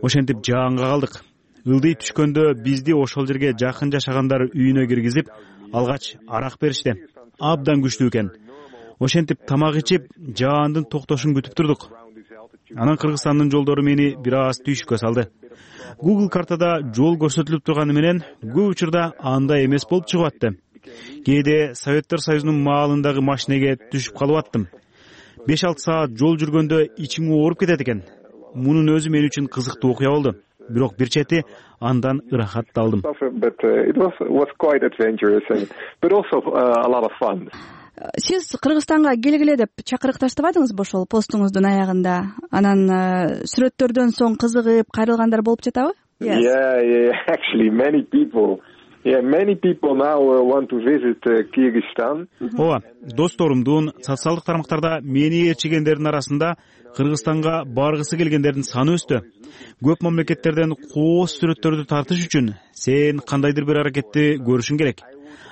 Ошентип жаанга калдык. Ылдый түшкөндө бизди ошол жерге жакын жашагандар үйүнө киргизип, алгач арак беришти. Абдан күчтүү экен. Ошентип тамак ичип, жаандын токтошун күтүп турдук. Анан Кыргызстандын жолдору мени бир аз түйшүккө салды. Google картада жол көрсөтүлүп турганы менен көп учурда андай эмес болуп чыгып атты. Кээде Советтер Союзунун маалындагы машинеге түшүп калып аттым. беш алты саат жол жүргөндө ичиң ооруп кетет экен. Мунун өзү мен үчүн кызыктуу окуя болду. Бирок бир чети андан ырахат да алдым. Сиз Кыргызстанга келгиле деп чакырыкташтыбадыңызбы ошол постуңуздун аягында? Анан сүрөттөрдөн соң кызыгып кайрылгандар болуп жатабы? Yeah, yeah, actually many people. Yeah, many people now want to visit Kyrgyzstan. Ооба, досторумдун социалдык тармактарда мени ээрчигендердин арасында Кыргызстанга баргысы келгендердин саны өстү. Көп мамлекеттерден кооз сүрөттөрдү тартыш үчүн сен кандайдыр бир аракетти көрүшүң керек.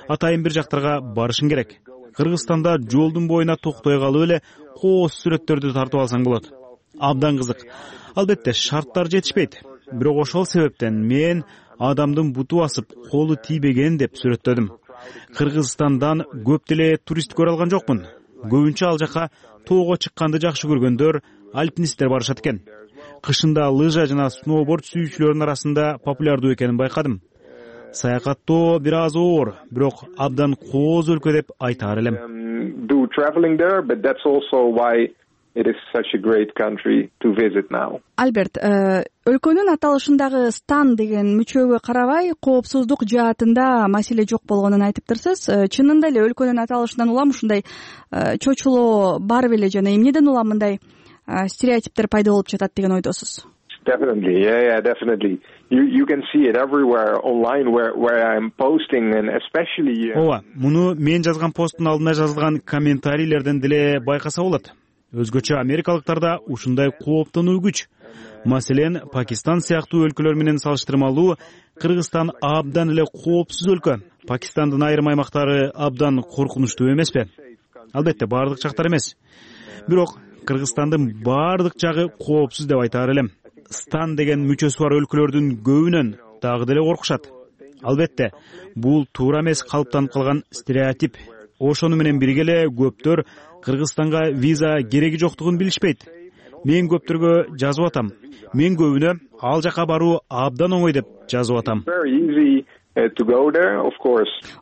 Атайын бир жактарга барышың керек. Кыргызстанда жолдун боюна токтой калып эле кооз сүрөттөрдү тартып алсаң болот. Абдан кызык. Албетте шарттар жетишпейт. Бирок ошол себептен мен адамдын буту басып, колу тийбеген деп сүрөттөдүм. Кыргызстандан көп деле турист көрө алган жокмун. Көбүнчө ал жака тоого чыкканды жакшы көргөндөр, альпинисттер барышат экен. Кышында лыжа жана сноуборд сүйүүчүлөрдүн арасында популярдуу экенин байкадым. Саякаттоо бир аз оор, бирок абдан кооз өлкө деп айтаар элем. Do traveling there, but that's also why it is such a great country to visit now. Альберт, өлкөнүн аталышындагы стан деген мүчөгө карабай, коопсуздук жаатында маселе жок болгонун айтыптырсыз. Чынында эле өлкөнүн аталышынан улам ушундай чочулоо бар беле жана эмнеден улам мындай стереотиптер пайда болуп жатат деген ойдосуз? Definitely, yeah, yeah, definitely. You you can see it everywhere online where where I'm posting and especially. Ооба, муну мен жазган посттун алдына жазылган комментарийлерден деле байкаса болот. Өзгөчө америкалыктарда ушундай кооптонуу күч. Маселен, Пакистан сыяктуу өлкөлөр менен салыштырмалуу Кыргызстан абдан эле коопсуз өлкө. Пакистандын айрым аймактары абдан коркунучтуу эмеспи? Албетте, баардык жактар эмес. Бирок Кыргызстандын баардык жагы коопсуз деп айтаар элем. Стан деген мүчөсү бар өлкөлөрдүн көбүнөн дагы деле коркушат. Албетте, бул туура эмес калыптанып калган стереотип. Ошону менен бирге эле көптөр Кыргызстанга виза кереги жоктугун билишпейт. Мен көптөргө жазып атам. Мен көбүнө ал жака баруу абдан оңой деп жазып атам.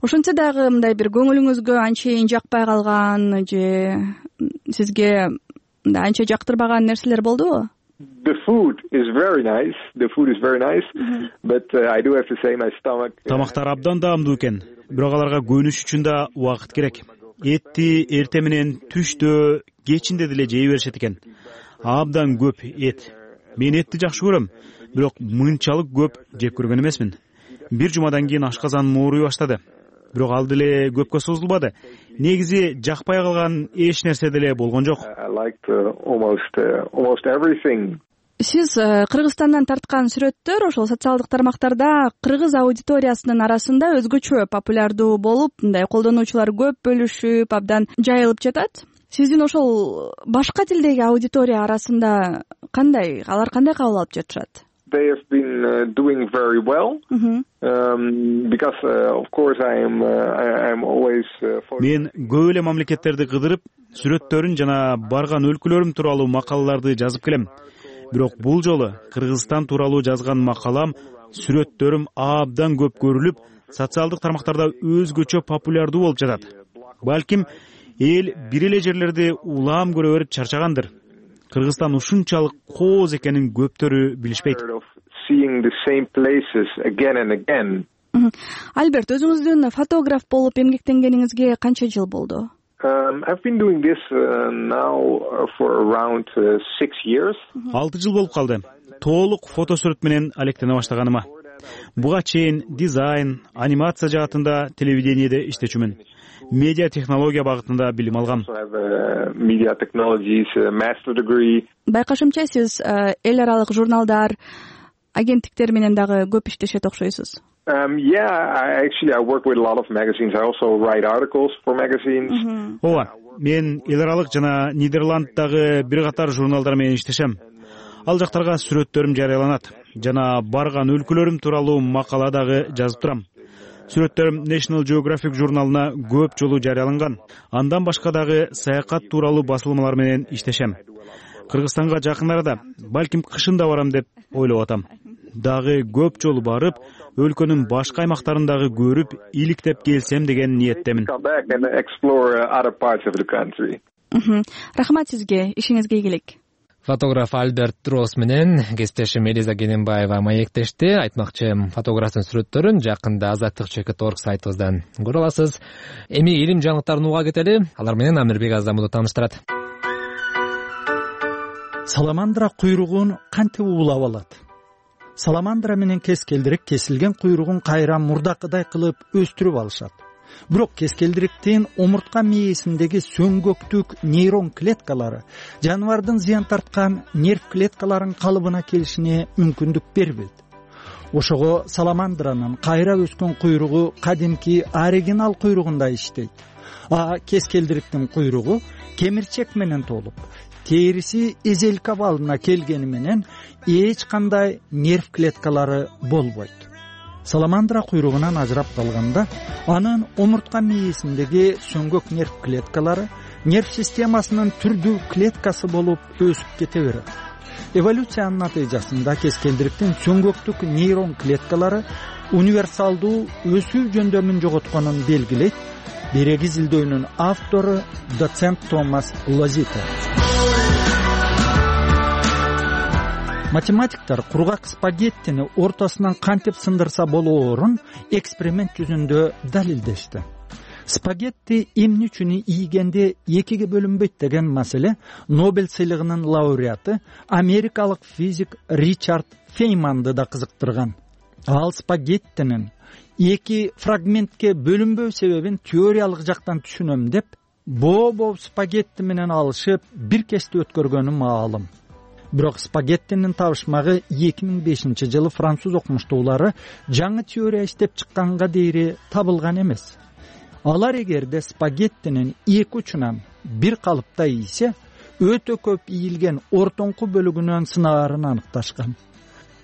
Ошентсе дагы мындай бир көңүлүңүзгө анчейин жакпай калган же сизге анча жактырбаган нерселер болдубу? The food is very nice. The food is very nice, but uh, I do have to say my stomach. Тамактар абдан даамдуу экен, бирок аларга көнүш үчүн да убакыт керек. Этти эрте менен түштө, кечинде деле жей беришет экен. Абдан көп эт. Мен этти жакшы көрөм, бирок мынчалык көп жеп көргөн эмесмин. Бир жумадан кийин ашказаным ооруй баштады. Бирок ал деле көпкө созулбады. Негизи жакпай калган эч нерсе деле болгон жок. Сиз Кыргызстандан тарткан сүрөттөр ошол социалдык тармактарда кыргыз аудиториясынын арасында өзгөчө популярдуу болуп, мындай колдонуучулар көп бөлүшүп, абдан жайылып жатат. Сиздин ошол башка тилдеги аудитория арасында кандай, алар кандай кабыл алып жатышат? They have been uh, doing very well um, because uh, of course I am uh, I am always uh, for... Мен көп эле мамлекеттерди кыдырып, сүрөттөрүн жана барган өлкөлөрүм тууралуу макалаларды жазып келем. Бирок бул жолу Кыргызстан тууралуу жазган макалам, сүрөттөрүм абдан көп көрүлүп, социалдык тармактарда өзгөчө популярдуу болуп жатат. Балким эл бир эле жерлерди улам көрө берип чарчагандыр. Кыргызстан ушунчалык кооз экенин көптөрү билишпейт. Альберт, өзүңүздүн фотограф болуп эмгектенгениңизге канча жыл болду? I've been doing this now for around six years. алты жыл болуп калды толук фотосүрөт менен алектене баштаганыма. Буга чейин дизайн, анимация жаатында телевидениеде иштечүмүн. Медиа технология багытында билим алгам. Media technologies master degree. Байкашымча сиз эл аралык журналдар, агенттиктер менен дагы көп иштешет окшойсуз. Um, yeah, I actually I work with a lot of magazines. I also write articles for magazines. Ооба, мен эл аралык жана Нидерланддагы бир катар журналдар менен иштешем. Ал жактарга сүрөттөрүм жарыяланат жана барган өлкөлөрүм тууралуу макала дагы жазып турам. Сүрөттөрүм National Geographic журналына көп жолу жарыяланган. Андан башка дагы саякат тууралуу басылмалар менен иштешем. Кыргызстанга жакын арада, балким кышында барам деп ойлоп атам. Дагы көп жолу барып, өлкөнүн башка аймактарын дагы көрүп, иликтеп келсем деген ниеттемин. Рахмат сизге, ишиңизге ийгилик. Фотограф Альберт Росс менен кесиптешим Элиза Кененбаева маектешти. Айтмакчы, фотографтын сүрөттөрүн жакында азаттык чекит точка орг сайтыбыздан көрө аласыз. Эми илим жаңылыктарын уга кетели. Алар менен Амирбек Аздамбулов тааныштырат. Саламандра куйругун кантип уулап алат? Саламандра менен кескелдирик кесилген куйругун кайра мурдакыдай кылып өстүрүп алышат. Бирок кескелдириктин омуртка мээсиндеги сөңгөктүк нейрон клеткалары жаныбардын зыян тарткан нерв клеткаларынын калыбына келишине мүмкүндүк бербейт. Ошого саламандранын кайра өскөн куйругу кадимки оригинал куйругундай иштейт. А кескелдириктин куйругу кемирчек менен толуп, териси эзелик абалына келгени менен эч кандай нерв клеткалары болбойт. Саламандра куйругунан ажырап калганда, анын омуртка мээсиндеги сөңгөк нерв клеткалары нерв системасынын түрдүү клеткасы болуп өсүп кете берет. Эволюциянын натыйжасында кескелдириктин сөңгөктүк нейрон клеткалары универсалдуу өсүү жөндөмүн жоготконун белгилейт. Береги изилдөөнүн автору доцент Томас Лозита. Математиктер кургак спагеттини ортосунан кантип сындырса болоорун эксперимент жүзүндө далилдешти. Спагетти эмне үчүн ийгенде экиге бөлүнбөйт деген маселе Нобель сыйлыгынын лауреаты америкалык физик Ричард Фейманды да кызыктырган. Ал спагеттинин эки фрагментке бөлүнбөө себебин теориялык жактан түшүнөм деп, боо-боо спагетти менен алышып бир кести өткөргөнү маалым. Бирок спагеттинин табышмагы эки миң бешинчи жылы француз окумуштуулары жаңы теория иштеп чыкканга дейри табылган эмес. Алар эгерде спагеттинин эки учунан бир калыпта ийсе, өтө көп ийилген ортоңку бөлүгүнөн сынаарын аныкташкан.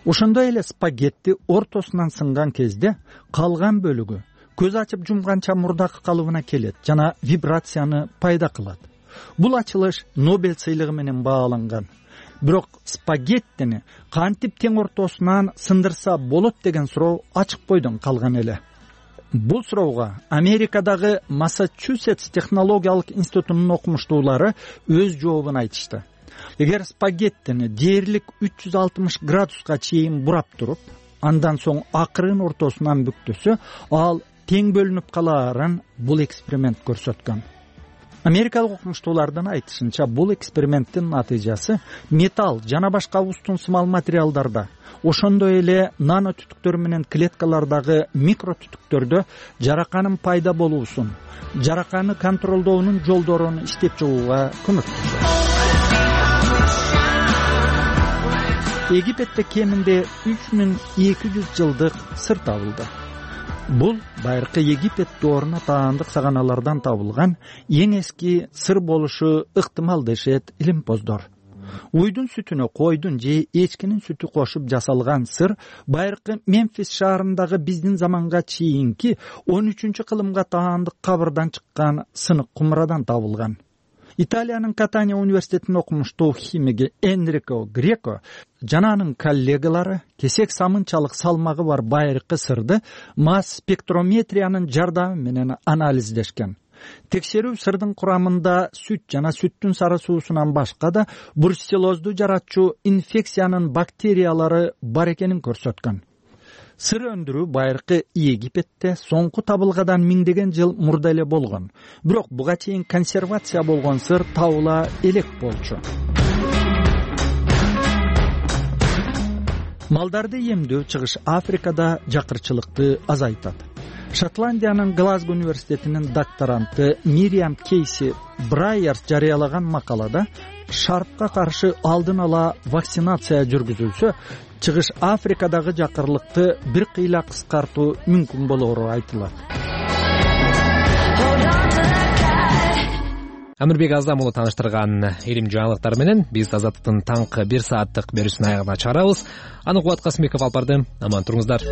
Ошондой эле спагетти ортосунан сынган кезде калган бөлүгү көз ачып жумганча мурдакы калыбына келет жана вибрацияны пайда кылат. Бул ачылыш Нобель сыйлыгы менен бааланган. Бирок спагеттини кантип тең ортосунан сындырса болот деген суроо ачык бойдон калган эле. Бул суроого Америкадагы Массачусетс технологиялык институтунун окумуштуулары өз жообун айтышты. Эгер спагеттини дээрлик үч жүз алтымыш градуска чейин бурап туруп, андан соң акырын ортосунан бүктөсө, ал тең бөлүнүп калаарын бул эксперимент көрсөткөн. Америкалык окумуштуулардын айтышынча, бул эксперименттин натыйжасы металл жана башка устун-сымал материалдарда, ошондой эле нано түтүктөр менен клеткалардагы микро түтүктөрдө жараканын пайда болуусун, жараканы контролдоонун жолдорун иштеп чыгууга көмөктөшөт. Египетте кеминде үч миң эки жүз жылдык сыр табылды. Бул байыркы Египет дооруна таандык саганалардан табылган эң эски сыр болушу ыктымал дешет илимпоздор. Уйдун сүтүнө койдун же эчкинин сүтү кошуп жасалган сыр байыркы Мемфис шаарындагы биздин заманга чейинки он үчүнчү кылымга таандык кабырдан чыккан сынык кумрадан табылган. Италиянын Катания университетинин окумуштуу химиги Энрико Греко жана анын коллегалары кесек самынчалык салмагы бар байыркы сырды масс спектрометриянын жардамы менен анализдешкен. Текшерүү сырдын курамында сүт жана сүттүн сары суусунан башка да бруцеллозду жаратчу инфекциянын бактериялары бар экенин көрсөткөн. сыр өндүрүү байыркы Египетте соңку табылгадан миңдеген жыл мурда эле болгон. Бирок буга чейин консервация болгон сыр табыла элек болчу. Малдарды эмдөө Чыгыш Африкада жакырчылыкты азайтат. Шотландиянын Глазго университетинин докторанты Мириам Кейси Брайерс жарыялаган макалада шарпка каршы алдын ала вакцинация жүргүзүлсө, Чыгыш Африкадагы жакырлыкты бир кыйла кыскартуу мүмкүн болоору айтылат. Амирбек Аздам уулу тааныштырган илим жаңылыктар менен биз Азаттыктын таңкы бир сааттык берүүсүнүн аягына чыгарабыз. Аны Кубат Касымбеков алып барды. Аман туруңуздар.